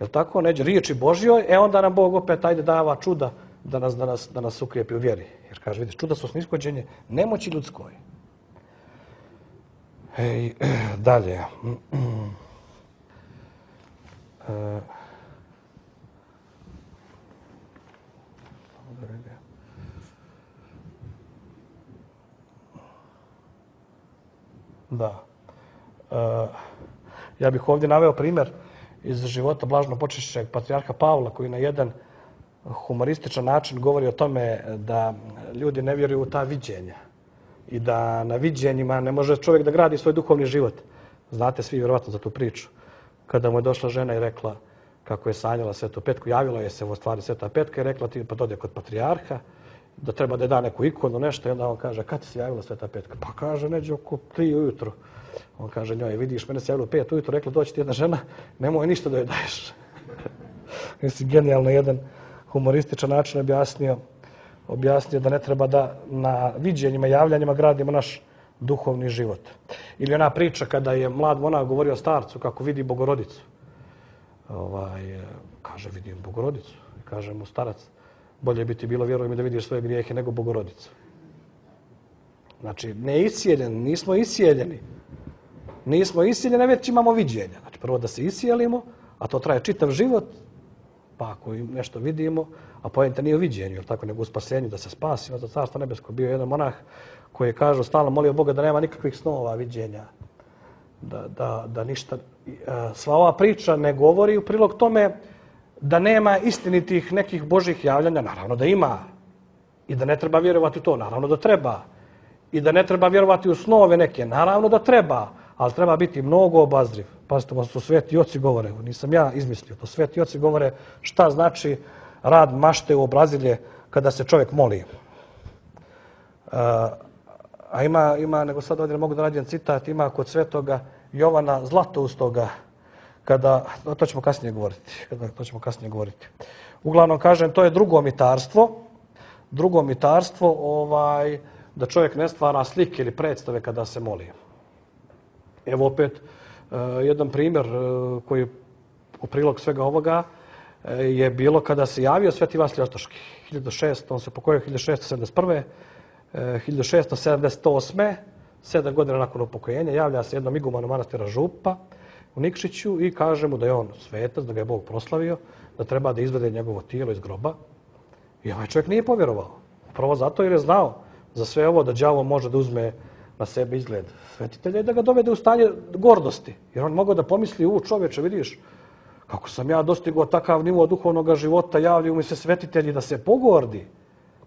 jel tako, neđe riječi Božjoj, e onda nam Bog opet ajde dava čuda da nas, da nas, da nas ukrijepi u vjeri. Jer kaže, vidiš, čuda su snishođenje nemoći ljudskoj. Ej, dalje. E, Da. E, ja bih ovdje naveo primjer iz života blažno počešćeg patrijarha Pavla, koji na jedan humorističan način govori o tome da ljudi ne vjeruju u ta viđenja i da na viđenjima ne može čovjek da gradi svoj duhovni život. Znate svi vjerovatno za tu priču. Kada mu je došla žena i rekla kako je sanjala Svetu Petku, javila je se u stvari Sveta Petka i rekla ti pa dode kod patrijarha, da treba da je da neku ikonu, nešto, i onda on kaže, kad ti se javila Sveta Petka? Pa kaže, neđe oko tri ujutru. On kaže njoj, vidiš, mene se javilo pet ujutru, rekla, doći ti jedna žena, nemoj ništa da joj daješ. Mislim, genijalno jedan humorističan način objasnio, objasnio da ne treba da na viđenjima, javljanjima gradimo naš duhovni život. Ili ona priča kada je mlad monak govorio starcu kako vidi Bogorodicu. Ovaj, kaže, vidim Bogorodicu. Kaže mu starac, bolje bi ti bilo, vjeruj mi, da vidiš svoje grijehe nego Bogorodicu. Znači, ne iscijeljeni, nismo iscijeljeni. Nismo iscijeljeni, već imamo viđenja. Znači, prvo da se iscijelimo, a to traje čitav život, pa ako nešto vidimo, a pojenta nije u viđenju, jer tako, nego u spasenju, da se spasimo za Carstvo nebesko. Bio jedan monah koji je kažu, stalno molio Boga da nema nikakvih snova, viđenja, da, da, da ništa. Sva ova priča ne govori u prilog tome da nema istinitih nekih Božih javljanja, naravno da ima. I da ne treba vjerovati u to, naravno da treba. I da ne treba vjerovati u snove neke, naravno da treba. Ali treba biti mnogo obazriv. Pazite, to sveti oci govore, nisam ja izmislio, to sveti oci govore šta znači rad mašte u obrazilje kada se čovjek moli. A ima, ima, nego sad ovdje mogu da nađem citat, ima kod svetoga Jovana Zlatoustoga, kada, to ćemo kasnije govoriti, kada, to ćemo kasnije govoriti. Uglavnom, kažem, to je drugo mitarstvo, drugo mitarstvo, ovaj, da čovjek ne stvara slike ili predstave kada se moli. Evo opet, jedan primjer koji u prilog svega ovoga je bilo kada se javio Sveti Vasilij Ostroški. hiljadu šesto, on se pokojio hiljadu šesto sedamdeset prve. hiljadu šesto sedamdeset osme. sedam godina nakon upokojenja, javlja se jednom igumanu manastira Župa u Nikšiću i kaže mu da je on svetac, da ga je Bog proslavio, da treba da izvede njegovo tijelo iz groba. I ovaj čovjek nije povjerovao. Prvo zato jer je znao za sve ovo da đavo može da uzme na sebe izgled svetitelja i da ga dovede u stanje gordosti. Jer on mogao da pomisli, u čovječe, vidiš, kako sam ja dostigao takav nivo duhovnog života, javljaju mi se svetitelji da se pogordi.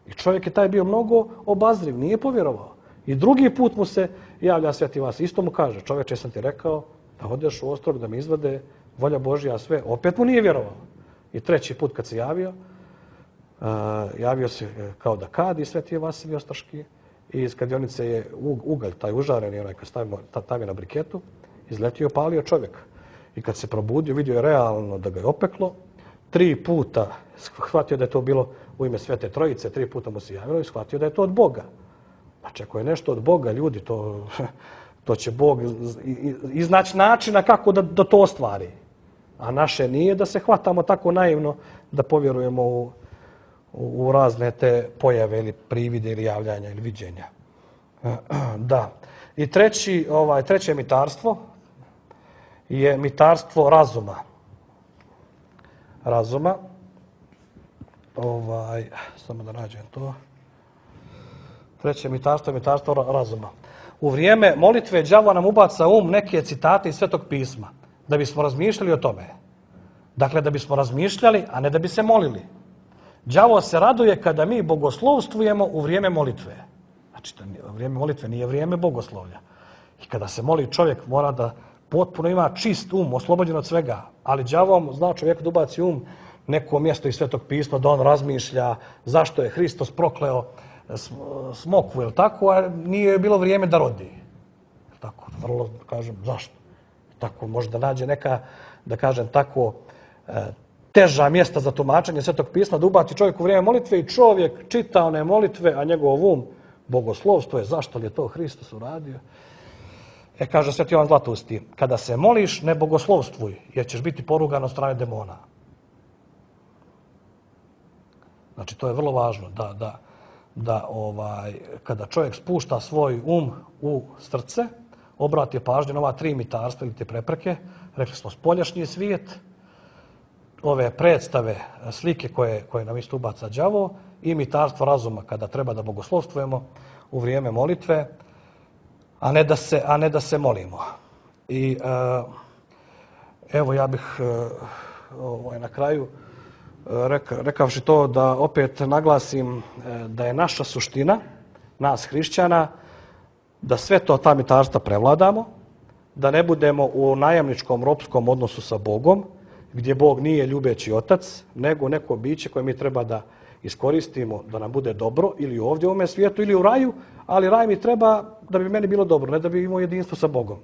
I čovjek je taj bio mnogo obazriv, nije povjerovao. I drugi put mu se javlja Sveti Vasilij. Isto mu kaže, čovječe, sam ti rekao da odeš u Ostrog, da mi izvade volja Božja sve. Opet mu nije vjerovao. I treći put kad se javio, uh, javio se kao da kadi Sveti Vasilij Ostroški. I iz kadionice je ugalj, taj užareni, onaj kad stavimo tavi na briketu, izletio i opalio čovjeka. I kad se probudio, vidio je realno da ga je opeklo. Tri puta shvatio da je to bilo u ime Svete Trojice, tri puta mu se javilo i shvatio da je to od Boga. Znači, ako je nešto od Boga, ljudi, to, to će Bog iznaći načina kako da, da to ostvari. A naše nije da se hvatamo tako naivno da povjerujemo u, u razne te pojave ili privide ili javljanja ili viđenja. Da. I treći, ovaj, treće mitarstvo je mitarstvo razuma. Razuma. Ovaj, samo da nađem to. Treće mitarstvo je mitarstvo razuma. U vrijeme molitve đavo nam ubaca um neke citate iz Svetog pisma, da bismo razmišljali o tome. Dakle, da bismo razmišljali, a ne da bi se molili. Đavo se raduje kada mi bogoslovstvujemo u vrijeme molitve. Znači, vrijeme molitve nije vrijeme bogoslovlja. I kada se moli čovjek mora da potpuno ima čist um, oslobođen od svega. Ali đavo zna čovjek da ubaci um neko mjesto iz Svetog pisma, da on razmišlja zašto je Hristos prokleo smokvu, je li tako, a nije bilo vrijeme da rodi. Tako, vrlo, kažem, zašto? Tako, može da nađe neka, da kažem, tako, teža mjesta za tumačenje Svetog pisma, da ubaci čovjek u vrijeme molitve i čovjek čita one molitve, a njegov um bogoslovstvo je zašto li je to Hristos uradio. E, kaže Sveti Jovan Zlatousti, kada se moliš, ne bogoslovstvuj, jer ćeš biti porugan od strane demona. Znači, to je vrlo važno, da, da, da ovaj, kada čovjek spušta svoj um u srce, obrati pažnju na ova tri mitarstva ili te prepreke, rekli smo spoljašnji svijet, ove predstave, slike koje, koje nam isto ubaca đavo i mitarstvo razuma kada treba da bogoslovstvujemo u vrijeme molitve, a ne da se, a ne da se molimo. I uh, evo ja bih uh, ovaj, na kraju reka, rekavši to da opet naglasim da je naša suština, nas hrišćana, da sve to ta mitarstva prevladamo, da ne budemo u najamničkom ropskom odnosu sa Bogom, gdje Bog nije ljubeći otac, nego neko biće koje mi treba da iskoristimo da nam bude dobro ili ovdje u ovome svijetu ili u raju, ali raj mi treba da bi meni bilo dobro, ne da bi imao jedinstvo sa Bogom.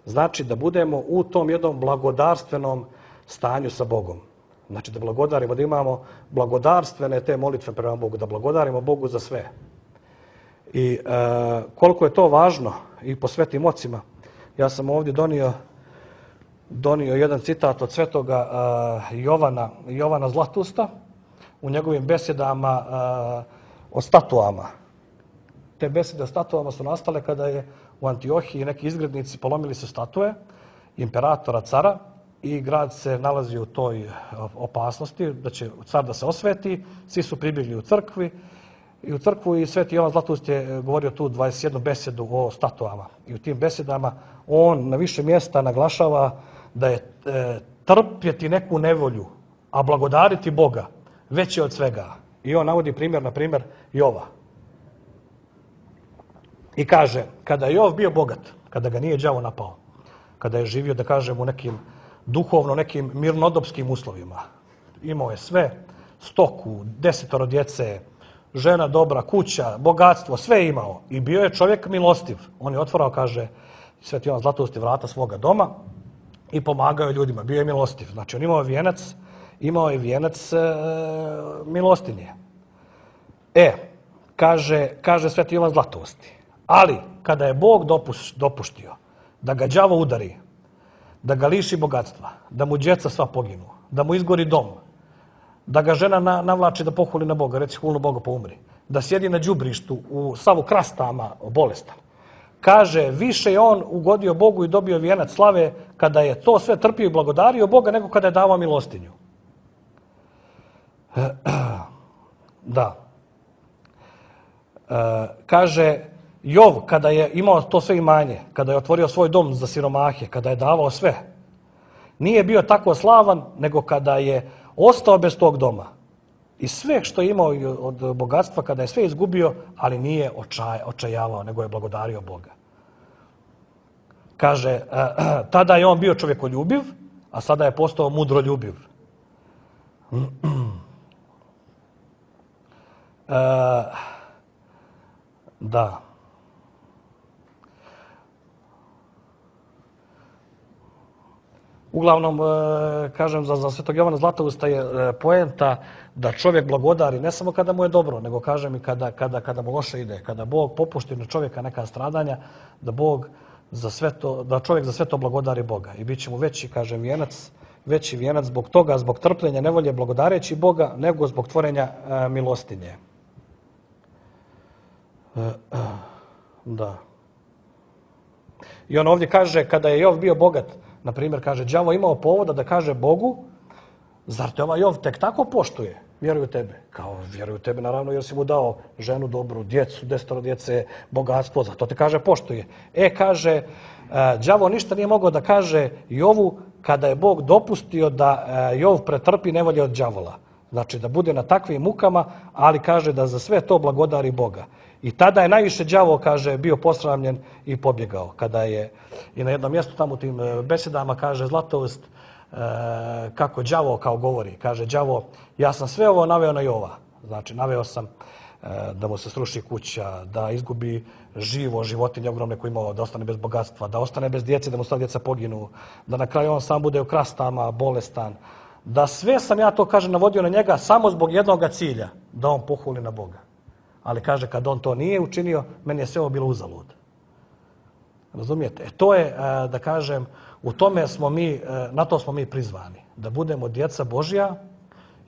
Znači da budemo u tom jednom blagodarstvenom stanju sa Bogom. Znači da blagodarimo, da imamo blagodarstvene te molitve prema Bogu, da blagodarimo Bogu za sve. I e, koliko je to važno i po svetim ocima, ja sam ovdje donio, donio jedan citat od svetoga e, Jovana, Jovana Zlatousta u njegovim besedama e, o statuama. Te besede o statuama su nastale kada je u Antiohiji neki izgrednici polomili su statue imperatora, cara, i grad se nalazi u toj opasnosti da će car da se osveti. Svi su pribjegli u crkvi i u crkvu i Sveti Jovan Zlatoust je govorio tu dvadeset jednu besedu o statuama. I u tim besedama on na više mjesta naglašava da je e, trpjeti neku nevolju, a blagodariti Boga veće od svega. I on navodi primjer, na primjer, Jova. I kaže, kada je Jov bio bogat, kada ga nije đavo napao, kada je živio, da kažem, u nekim duhovno nekim mirnodopskim uslovima. Imao je sve, stoku, desetoro djece, žena dobra, kuća, bogatstvo, sve je imao. I bio je čovjek milostiv. On je otvarao, kaže Sveti Jovan Zlatousti, vrata svoga doma i pomagao je ljudima. Bio je milostiv. Znači, on imao vijenac, imao je vijenac e, milostinje. E, kaže, kaže Sveti Jovan Zlatousti, ali kada je Bog dopus, dopuštio da ga đavo udari, da ga liši bogatstva, da mu djeca sva poginu, da mu izgori dom, da ga žena na, navlači da pohuli na Boga, reci hulno Boga pa umri, da sjedi na đubrištu u savu krastama bolestan. Kaže, više je on ugodio Bogu i dobio vijenac slave kada je to sve trpio i blagodario Boga nego kada je davao milostinju. Da. E, kaže, Jov, kada je imao to sve imanje, kada je otvorio svoj dom za siromahe, kada je davao sve, nije bio tako slavan nego kada je ostao bez tog doma. I sve što je imao od bogatstva, kada je sve izgubio, ali nije očaj, očajavao, nego je blagodario Boga. Kaže, tada je on bio čovjekoljubiv, a sada je postao mudroljubiv. E, da. Uglavnom, kažem, za, za Svetog Jovana Zlatousta je poenta da čovjek blagodari ne samo kada mu je dobro, nego kažem i kada, kada, kada mu loše ide. Kada Bog popušti na čovjeka neka stradanja, da Bog za sve to, da čovjek za sve to blagodari Boga. I bit će mu veći, kažem, vijenac, veći vijenac zbog toga, zbog trpljenja, nevolje blagodareći Boga, nego zbog tvorenja e, milostinje. E, e, da. I on ovdje kaže, kada je Jov bio bogat, na primjer, kaže, đavo imao povoda da kaže Bogu, zar te ovaj Jov tek tako poštuje? Vjeruju tebe. Kao, vjeruju tebe, naravno, jer si mu dao ženu dobru, djecu, desetoro djece, bogatstvo, zato te kaže poštuje. E, kaže, đavo ništa nije mogao da kaže Jovu kada je Bog dopustio da Jov pretrpi nevolje od đavola. Znači, da bude na takvim mukama, ali kaže da za sve to blagodari Boga. I tada je najviše đavo, kaže, bio posramljen i pobjegao. Kada je i na jednom mjestu tamo u tim besedama, kaže Zlatoust, e, kako đavo kao govori. Kaže, đavo, ja sam sve ovo naveo na Jova. Znači, naveo sam e, da mu se sruši kuća, da izgubi živo, životinje ogromne koje imao, da ostane bez bogatstva, da ostane bez djece, da mu sva djeca poginu, da na kraju on sam bude u krastama, bolestan. Da sve sam ja to, kaže, navodio na njega samo zbog jednog cilja, da on pohuli na Boga. Ali kaže, kad on to nije učinio, meni je sve ovo bilo uzalud. Razumijete? E to je, da kažem, u tome smo mi, na to smo mi prizvani. Da budemo djeca Božja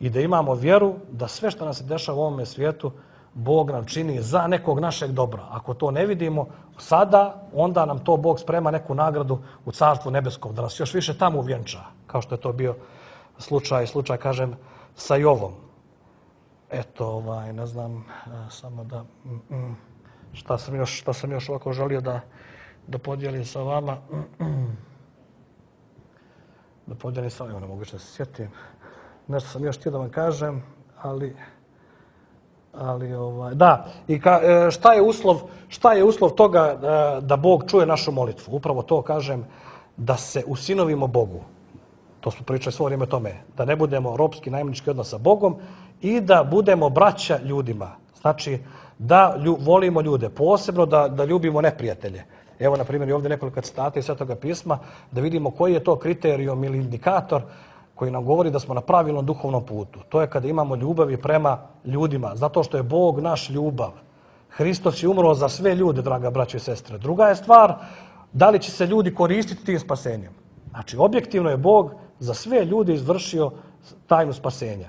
i da imamo vjeru da sve što nam se dešava u ovome svijetu, Bog nam čini za nekog našeg dobra. Ako to ne vidimo sada, onda nam to Bog sprema neku nagradu u Carstvu nebeskom, da nas još više tamo uvjenča, kao što je to bio slučaj, slučaj, kažem, sa Jovom. Eto, ovaj, ne znam, samo da, šta sam još, šta sam još ovako želio da, da podijelim sa vama. Da podijelim sa vama, ne mogu što se sjetim. Nešto sam još htio da vam kažem, ali, ali ovaj, da, i ka, šta je uslov, šta je uslov toga da, da Bog čuje našu molitvu? Upravo to kažem, da se usinovimo Bogu. To smo pričali svo vrijeme o tome, da ne budemo ropski najemnički odnos sa Bogom i da budemo braća ljudima. Znači, da lju, volimo ljude, posebno da, da ljubimo neprijatelje. Evo, na primjer, i ovdje nekoliko citata iz Svetoga pisma, da vidimo koji je to kriterijum ili indikator koji nam govori da smo na pravilnom duhovnom putu. To je kada imamo ljubavi prema ljudima, zato što je Bog naš ljubav. Hristos je umro za sve ljude, draga braćo i sestre. Druga je stvar, da li će se ljudi koristiti tim spasenjem. Znači, objektivno je Bog za sve ljude izvršio tajnu spasenja.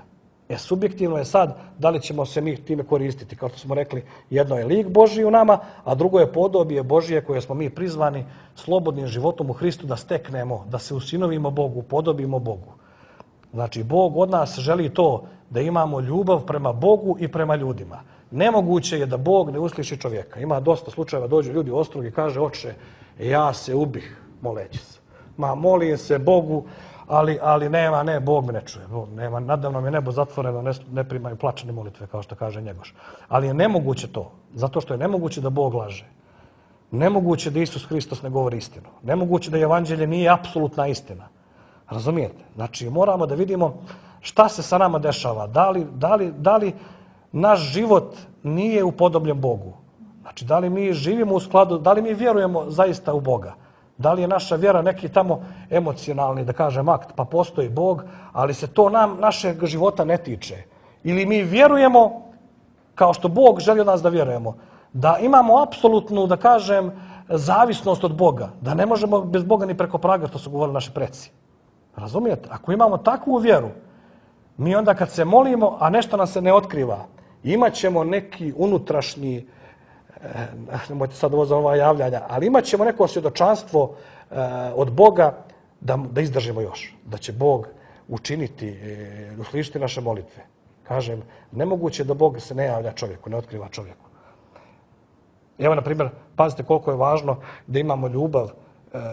E, subjektivno je sad da li ćemo se mi time koristiti. Kao što smo rekli, jedno je lik Božji u nama, a drugo je podobije Božije koje smo mi prizvani slobodnim životom u Hristu da steknemo, da se usinovimo Bogu, podobimo Bogu. Znači, Bog od nas želi to da imamo ljubav prema Bogu i prema ljudima. Nemoguće je da Bog ne usliši čovjeka. Ima dosta slučajeva, dođu ljudi u Ostrog i kaže, oče, ja se ubih moleći se. Ma, molim se Bogu, ali, ali nema, ne, Bog me ne čuje. Nema, nadavno mi je nebo zatvoreno, ne, ne primaju plačane molitve, kao što kaže Njegoš. Ali je nemoguće to, zato što je nemoguće da Bog laže. Nemoguće da Isus Hristos ne govori istinu. Nemoguće da evanđelje nije apsolutna istina. Razumijete? Znači, moramo da vidimo šta se sa nama dešava. Da li, da li, da li naš život nije upodobljen Bogu. Znači, da li mi živimo u skladu, da li mi vjerujemo zaista u Boga? Da li je naša vjera neki tamo emocionalni, da kažem, akt, pa postoji Bog, ali se to nam, našeg života ne tiče. Ili mi vjerujemo, kao što Bog želi od nas da vjerujemo, da imamo apsolutnu, da kažem, zavisnost od Boga, da ne možemo bez Boga ni preko praga, što su govorili naši preci. Razumijete? Ako imamo takvu vjeru, mi onda kad se molimo, a nešto nam se ne otkriva, imat ćemo neki unutrašnji, nemojte sad ovo za ova javljanja, ali imat ćemo neko svjedočanstvo od Boga da, da izdržimo još. Da će Bog učiniti, uslišiti naše molitve. Kažem, nemoguće da Bog se ne javlja čovjeku, ne otkriva čovjeku. Evo, na primjer, pazite koliko je važno da imamo ljubav.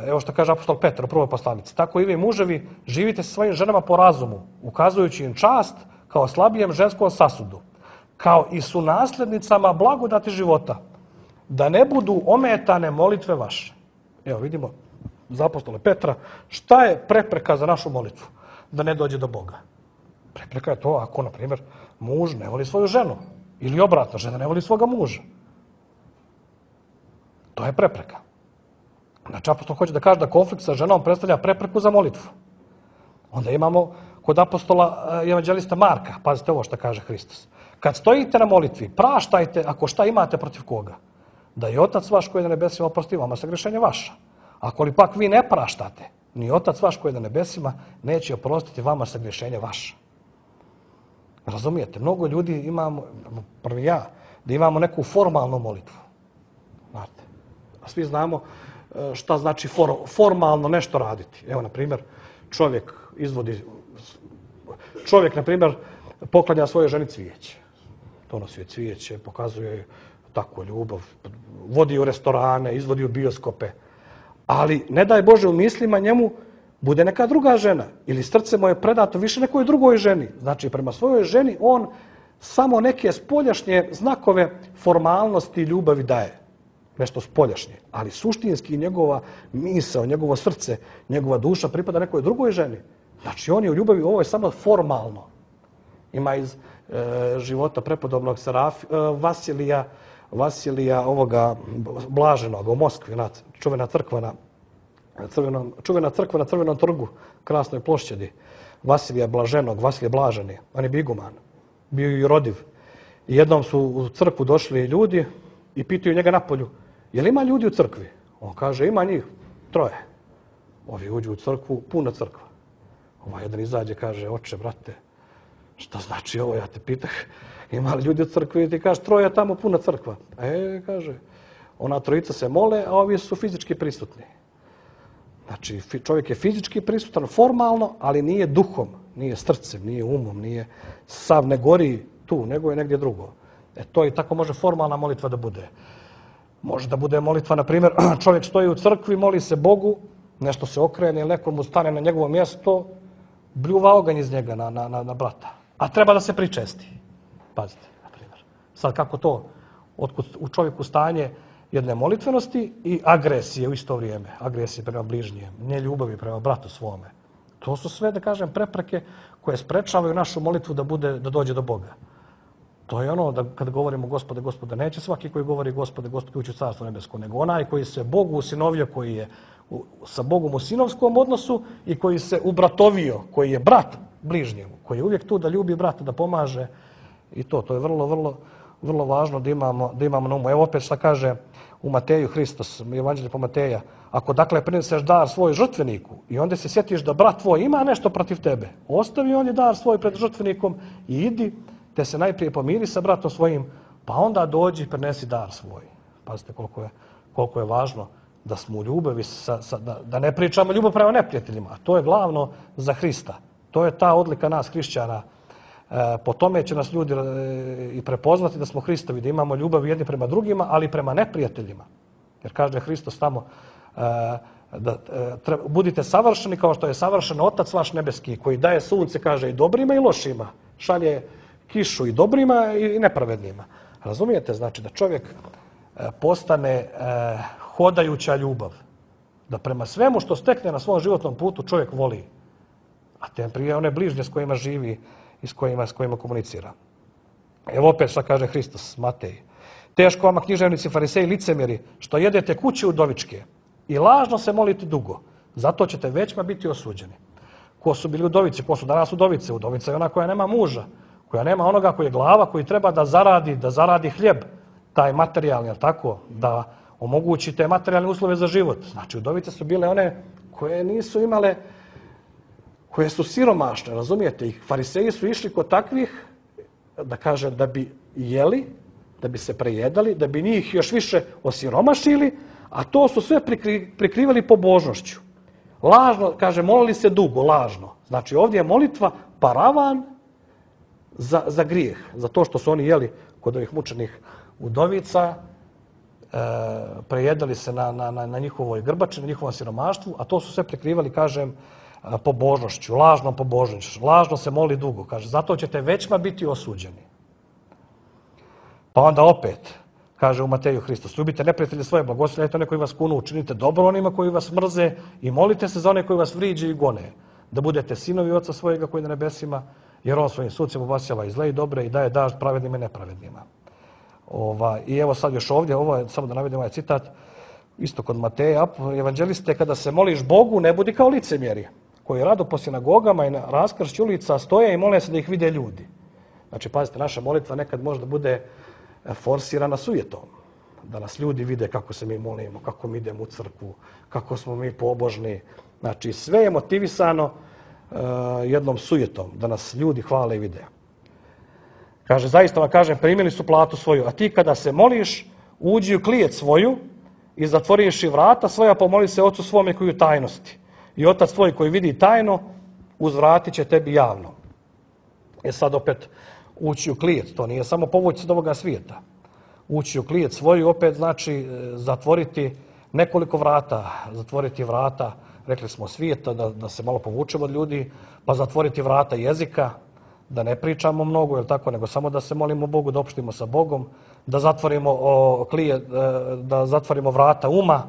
Evo što kaže apostol Petar u prvoj poslanici. Tako i vi muževi živite sa svojim ženama po razumu, ukazujući im čast kao slabijem ženskom sasudu, kao i su nasljednicama blagodati života, da ne budu ometane molitve vaše. Evo vidimo za apostola Petra šta je prepreka za našu molitvu, da ne dođe do Boga. Prepreka je to ako, na primjer, muž ne voli svoju ženu ili obratno, žena ne voli svoga muža. To je prepreka. Znači, apostol hoće da kaže da konflikt sa ženom predstavlja prepreku za molitvu. Onda imamo kod apostola evanđelista Marka, pazite ovo što kaže Hristos. Kad stojite na molitvi, praštajte ako šta imate protiv koga. Da je Otac vaš koji je na nebesima oprosti vama sagrešenje vaša. Ako li pak vi ne praštate, ni Otac vaš koji je na nebesima neće oprostiti vama sagrešenje vaša. Razumijete? Mnogo ljudi imamo, prvi ja, da imamo neku formalnu molitvu. Znate, a svi znamo šta znači for, formalno nešto raditi. Evo, na primjer, čovjek izvodi, čovjek, na primjer, poklanja svojoj ženi cvijeće. Donosi joj cvijeće, pokazuje joj takvu ljubav, vodi u restorane, izvodi u bioskope. Ali, ne daj Bože, u mislima njemu bude neka druga žena ili srce mu je predato više nekoj drugoj ženi. Znači, prema svojoj ženi on samo neke spoljašnje znakove formalnosti i ljubavi daje. Nešto spoljašnje. Ali suštinski njegova misao, njegovo srce, njegova duša pripada nekoj drugoj ženi. Znači, on je u ljubavi, ovo je samo formalno. Ima iz e, života prepodobnog Seraf, e, Vasilija, Vasilija ovoga blaženog u Moskvi, na, čuvena crkva na crvenom, čuvena crkva na Crvenom trgu, krasnoj plošćadi. Vasilija Blaženog, Vasilije Blaženi, on je biguman, bio i rodiv. I jednom su u crkvu došli ljudi i pitaju njega napolju, je li ima ljudi u crkvi? On kaže, ima njih troje. Ovi uđu u crkvu, puna crkva. Ovaj jedan izađe, kaže, oče, brate, šta znači ovo, ja te pitah, ima li ljudi u crkvi? I ti kaže, troje tamo, puna crkva. E, kaže, ona trojica se mole, a ovi su fizički prisutni. Znači, čovjek je fizički prisutan formalno, ali nije duhom, nije srcem, nije umom, nije sav ne gori tu, nego je negdje drugo. E, to i tako može formalna molitva da bude. Može da bude molitva, na primjer, čovjek stoji u crkvi, moli se Bogu, nešto se okrene ili neko mu stane na njegovo mjesto, bljuva oganj iz njega na, na, na, na brata. A treba da se pričesti. Pazite, na primjer. Sad kako to otkud u čovjeku stanje jedne molitvenosti i agresije u isto vrijeme. Agresije prema bližnjem, neljubavi prema bratu svome. To su sve, da kažem, prepreke koje sprečavaju našu molitvu da bude, da dođe do Boga. To je ono da kad govorimo Gospode, Gospode, neće svaki koji govori Gospode, Gospode ući u Carstvo nebesko, nego onaj koji se Bogu usinovio, koji je u, sa Bogom u sinovskom odnosu i koji se ubratovio, koji je brat bližnjemu, koji je uvijek tu da ljubi brata, da pomaže i to. To je vrlo, vrlo, vrlo važno da imamo, da imamo na umu. Evo opet šta kaže u Mateju Hristos, Evanđelje po Mateja. Ako dakle prineseš dar svoj žrtveniku i onda se sjetiš da brat tvoj ima nešto protiv tebe, ostavi on je dar svoj pred žrtvenikom i idi te se najprije pomiri sa bratom svojim, pa onda dođi i prenesi dar svoj. Pazite koliko je, koliko je važno da smo u ljubavi, sa, sa, da, da ne pričamo ljubav prema neprijateljima. To je glavno za Hrista. To je ta odlika nas, hrišćana. E, po tome će nas ljudi e, i prepoznati da smo Hristovi, da imamo ljubav jedni prema drugima, ali i prema neprijateljima. Jer kaže Hristos tamo, e, da e, treba, budite savršeni kao što je savršen Otac vaš nebeski, koji daje sunce, kaže, i dobrima i lošima. Šalje kišu i dobrima i nepravednima. Razumijete? Znači da čovjek postane eh, hodajuća ljubav. Da prema svemu što stekne na svom životnom putu čovjek voli. A tem prije one bližnje s kojima živi i s kojima, s kojima komunicira. Evo opet šta kaže Hristos, Matej. Teško vama književnici, fariseji, licemjeri, što jedete kuće udovičke i lažno se molite dugo. Zato ćete većma biti osuđeni. Ko su bili udovice, ko su danas udovice? Udovica je ona koja nema muža, koja nema onoga koji je glava, koji treba da zaradi, da zaradi hljeb, taj materijalni, jel tako, da omogući te materijalne uslove za život. Znači, udovice su bile one koje nisu imale, koje su siromašne, razumijete? I fariseji su išli kod takvih, da kaže, da bi jeli, da bi se prejedali, da bi njih još više osiromašili, a to su sve prikri, prikrivali pobožnošću. Lažno, kaže, molili se dugo, lažno. Znači, ovdje je molitva paravan za, za grijeh, za to što su oni jeli kod ovih mučenih udovica, e, prejedali se na, na, na, na njihovoj grbači, na njihovom siromaštvu, a to su sve prikrivali, kažem, pobožnošću, lažnom pobožnošću. Lažno se moli dugo, kaže, zato ćete većma biti osuđeni. Pa onda opet, kaže u Mateju Hristos, ljubite neprijatelje svoje, blagoslovljajte one koji vas kunu, učinite dobro onima koji vas mrze i molite se za one koji vas vriđe i gone, da budete sinovi Oca svojega koji je na nebesima, jer on svojim sucima obasjava i zle i dobre i daje dažd pravednim i nepravednima. Ova, I evo sad još ovdje, ovo je, samo da navedem ovaj citat, isto kod Mateja, evanđeliste, kada se moliš Bogu, ne budi kao licemjeri, koji rado po sinagogama i na raskršću ulica stoje i mole se da ih vide ljudi. Znači, pazite, naša molitva nekad možda bude forsirana sujetom. Da nas ljudi vide kako se mi molimo, kako mi idemo u crkvu, kako smo mi pobožni. Znači, sve je motivisano uh, jednom sujetom, da nas ljudi hvale i vide. Kaže, zaista vam kažem, primili su platu svoju, a ti kada se moliš, uđi u klijet svoju i zatvoriš i vrata svoja, pomoli se Ocu svome koji u tajnosti. I Otac tvoj koji vidi tajno, uzvratit će tebi javno. E sad opet, ući u klijet, to nije samo povući se od ovoga svijeta. Ući u klijet svoju opet znači zatvoriti nekoliko vrata, zatvoriti vrata, rekli smo svijeta, da, da se malo povučemo od ljudi, pa zatvoriti vrata jezika, da ne pričamo mnogo, jel tako, nego samo da se molimo Bogu, da opštimo sa Bogom, da zatvorimo o, klije, da zatvorimo vrata uma,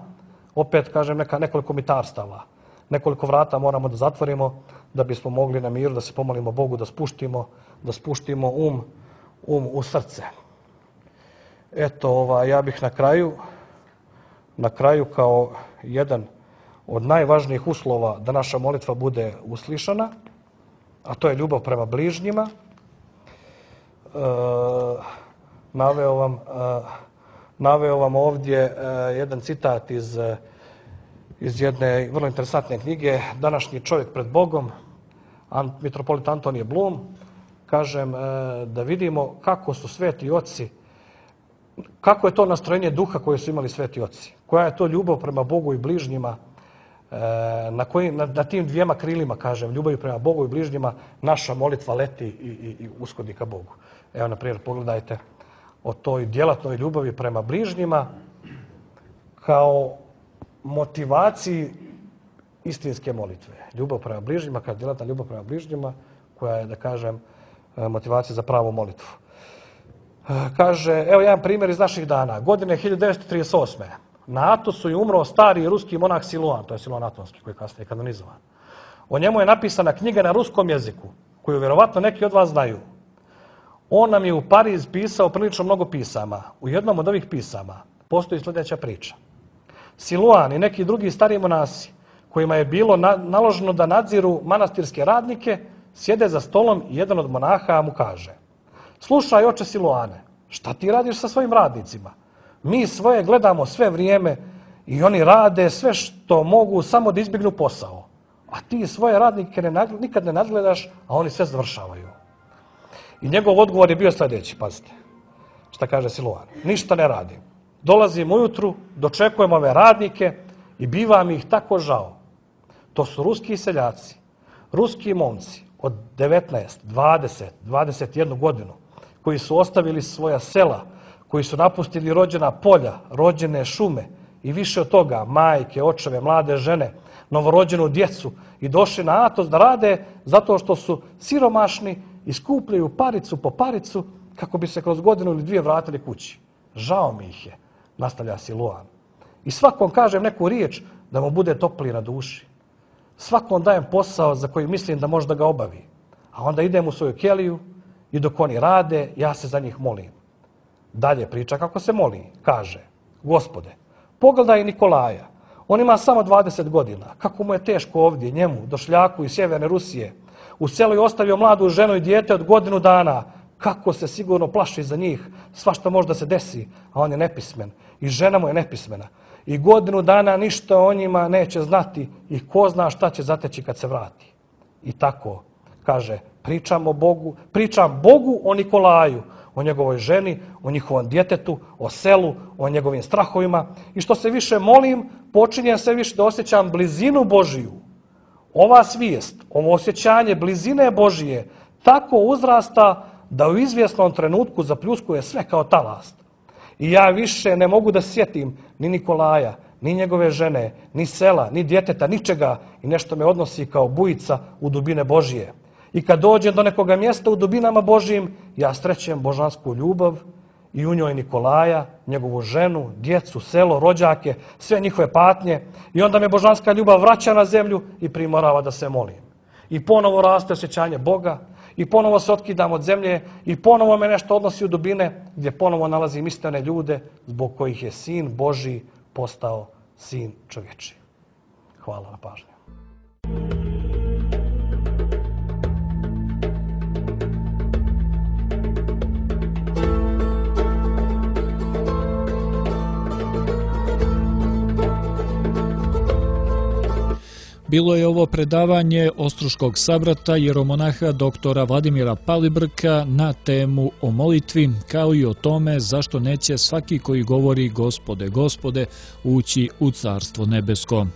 opet kažem neka, nekoliko mitarstava. Nekoliko vrata moramo da zatvorimo da bismo mogli na miru da se pomolimo Bogu, da spuštimo, da spuštimo um, um u srce. Eto, ova, ja bih na kraju, na kraju kao jedan od najvažnijih uslova da naša molitva bude uslišana, a to je ljubav prema bližnjima. E, naveo, vam, e, naveo vam ovdje e, jedan citat iz iz jedne vrlo interesantne knjige Današnji čovjek pred Bogom, mitropolit Antonije Blum, kažem, da vidimo kako su sveti oci, kako je to nastrojenje duha koje su imali sveti oci, koja je to ljubav prema Bogu i bližnjima, na, koji, na, na tim dvijema krilima, kažem, ljubavi prema Bogu i bližnjima, naša molitva leti i, i, i uskodni ka Bogu. Evo, na primjer, pogledajte o toj djelatnoj ljubavi prema bližnjima kao motivaciji istinske molitve. Ljubav prema bližnjima, kao djelatna ljubav prema bližnjima, koja je, da kažem, motivacija za pravu molitvu. Kaže, evo jedan primjer iz naših dana. Godine hiljadu devetsto trideset osme. Na Atosu je umro stari ruski monah Siluan, to je Siluan Atonski, koji je kasnije kanonizovan. O njemu je napisana knjiga na ruskom jeziku, koju vjerovatno neki od vas znaju. On nam je u Pariz pisao prilično mnogo pisama. U jednom od ovih pisama postoji sljedeća priča. Siluan i neki drugi stariji monasi, kojima je bilo na, naloženo da nadziru manastirske radnike, sjede za stolom i jedan od monaha mu kaže: slušaj, oče Siluane, šta ti radiš sa svojim radnicima? Mi svoje gledamo sve vrijeme i oni rade sve što mogu samo da izbjegnu posao. A ti svoje radnike ne, nikad ne nadgledaš, a oni sve završavaju. I njegov odgovor je bio sljedeći, pazite, šta kaže Siluan. Ništa ne radim. Dolazim ujutru, dočekujem ove radnike i biva mi ih tako žao. To su ruski seljaci, ruski momci od devetnaest, dvadeset, dvadeset jednu godinu, koji su ostavili svoja sela, koji su napustili rođena polja, rođene šume i više od toga, majke, očeve, mlade žene, novorođenu djecu i došli na Atos da rade zato što su siromašni i skupljaju paricu po paricu kako bi se kroz godinu ili dvije vratili kući. Žao mi ih je, nastavlja Siluan. I svakom kažem neku riječ da mu bude topli na duši. Svakom dajem posao za koji mislim da može da ga obavi. A onda idem u svoju keliju i dok oni rade, ja se za njih molim. Dalje priča kako se moli. Kaže, Gospode, pogledaj Nikolaja. On ima samo dvadeset godina. Kako mu je teško ovdje, njemu, došljaku iz sjeverne Rusije. U selu je ostavio mladu ženu i dijete od godinu dana. Kako se sigurno plaši za njih. Svašta možda se desi, a on je nepismen. I žena mu je nepismena. I godinu dana ništa o njima neće znati i ko zna šta će zateći kad se vrati. I tako, kaže, pričam o Bogu, pričam Bogu o Nikolaju, o njegovoj ženi, o njihovom djetetu, o selu, o njegovim strahovima. I što se više molim, počinjem sve više da osjećam blizinu Božiju. Ova svijest, ovo osjećanje blizine Božije tako uzrasta da u izvjesnom trenutku zapljuskuje sve kao talast. I ja više ne mogu da sjetim ni Nikolaja, ni njegove žene, ni sela, ni djeteta, ničega i nešto me odnosi kao bujica u dubine Božije. I kad dođem do nekoga mjesta u dubinama Božijim, ja srećem božansku ljubav i u njoj Nikolaja, njegovu ženu, djecu, selo, rođake, sve njihove patnje. I onda me božanska ljubav vraća na zemlju i primorava da se molim. I ponovo raste osjećanje Boga i ponovo se otkidam od zemlje i ponovo me nešto odnosi u dubine gdje ponovo nalazim istine ljude zbog kojih je Sin Božji postao Sin čovječiji. Hvala na pažnju. Bilo je ovo predavanje Ostruškog sabrata jeromonaha doktora Vladimira Palibrka na temu o molitvi, kao i o tome zašto neće svaki koji govori Gospode, Gospode ući u Carstvo nebesko.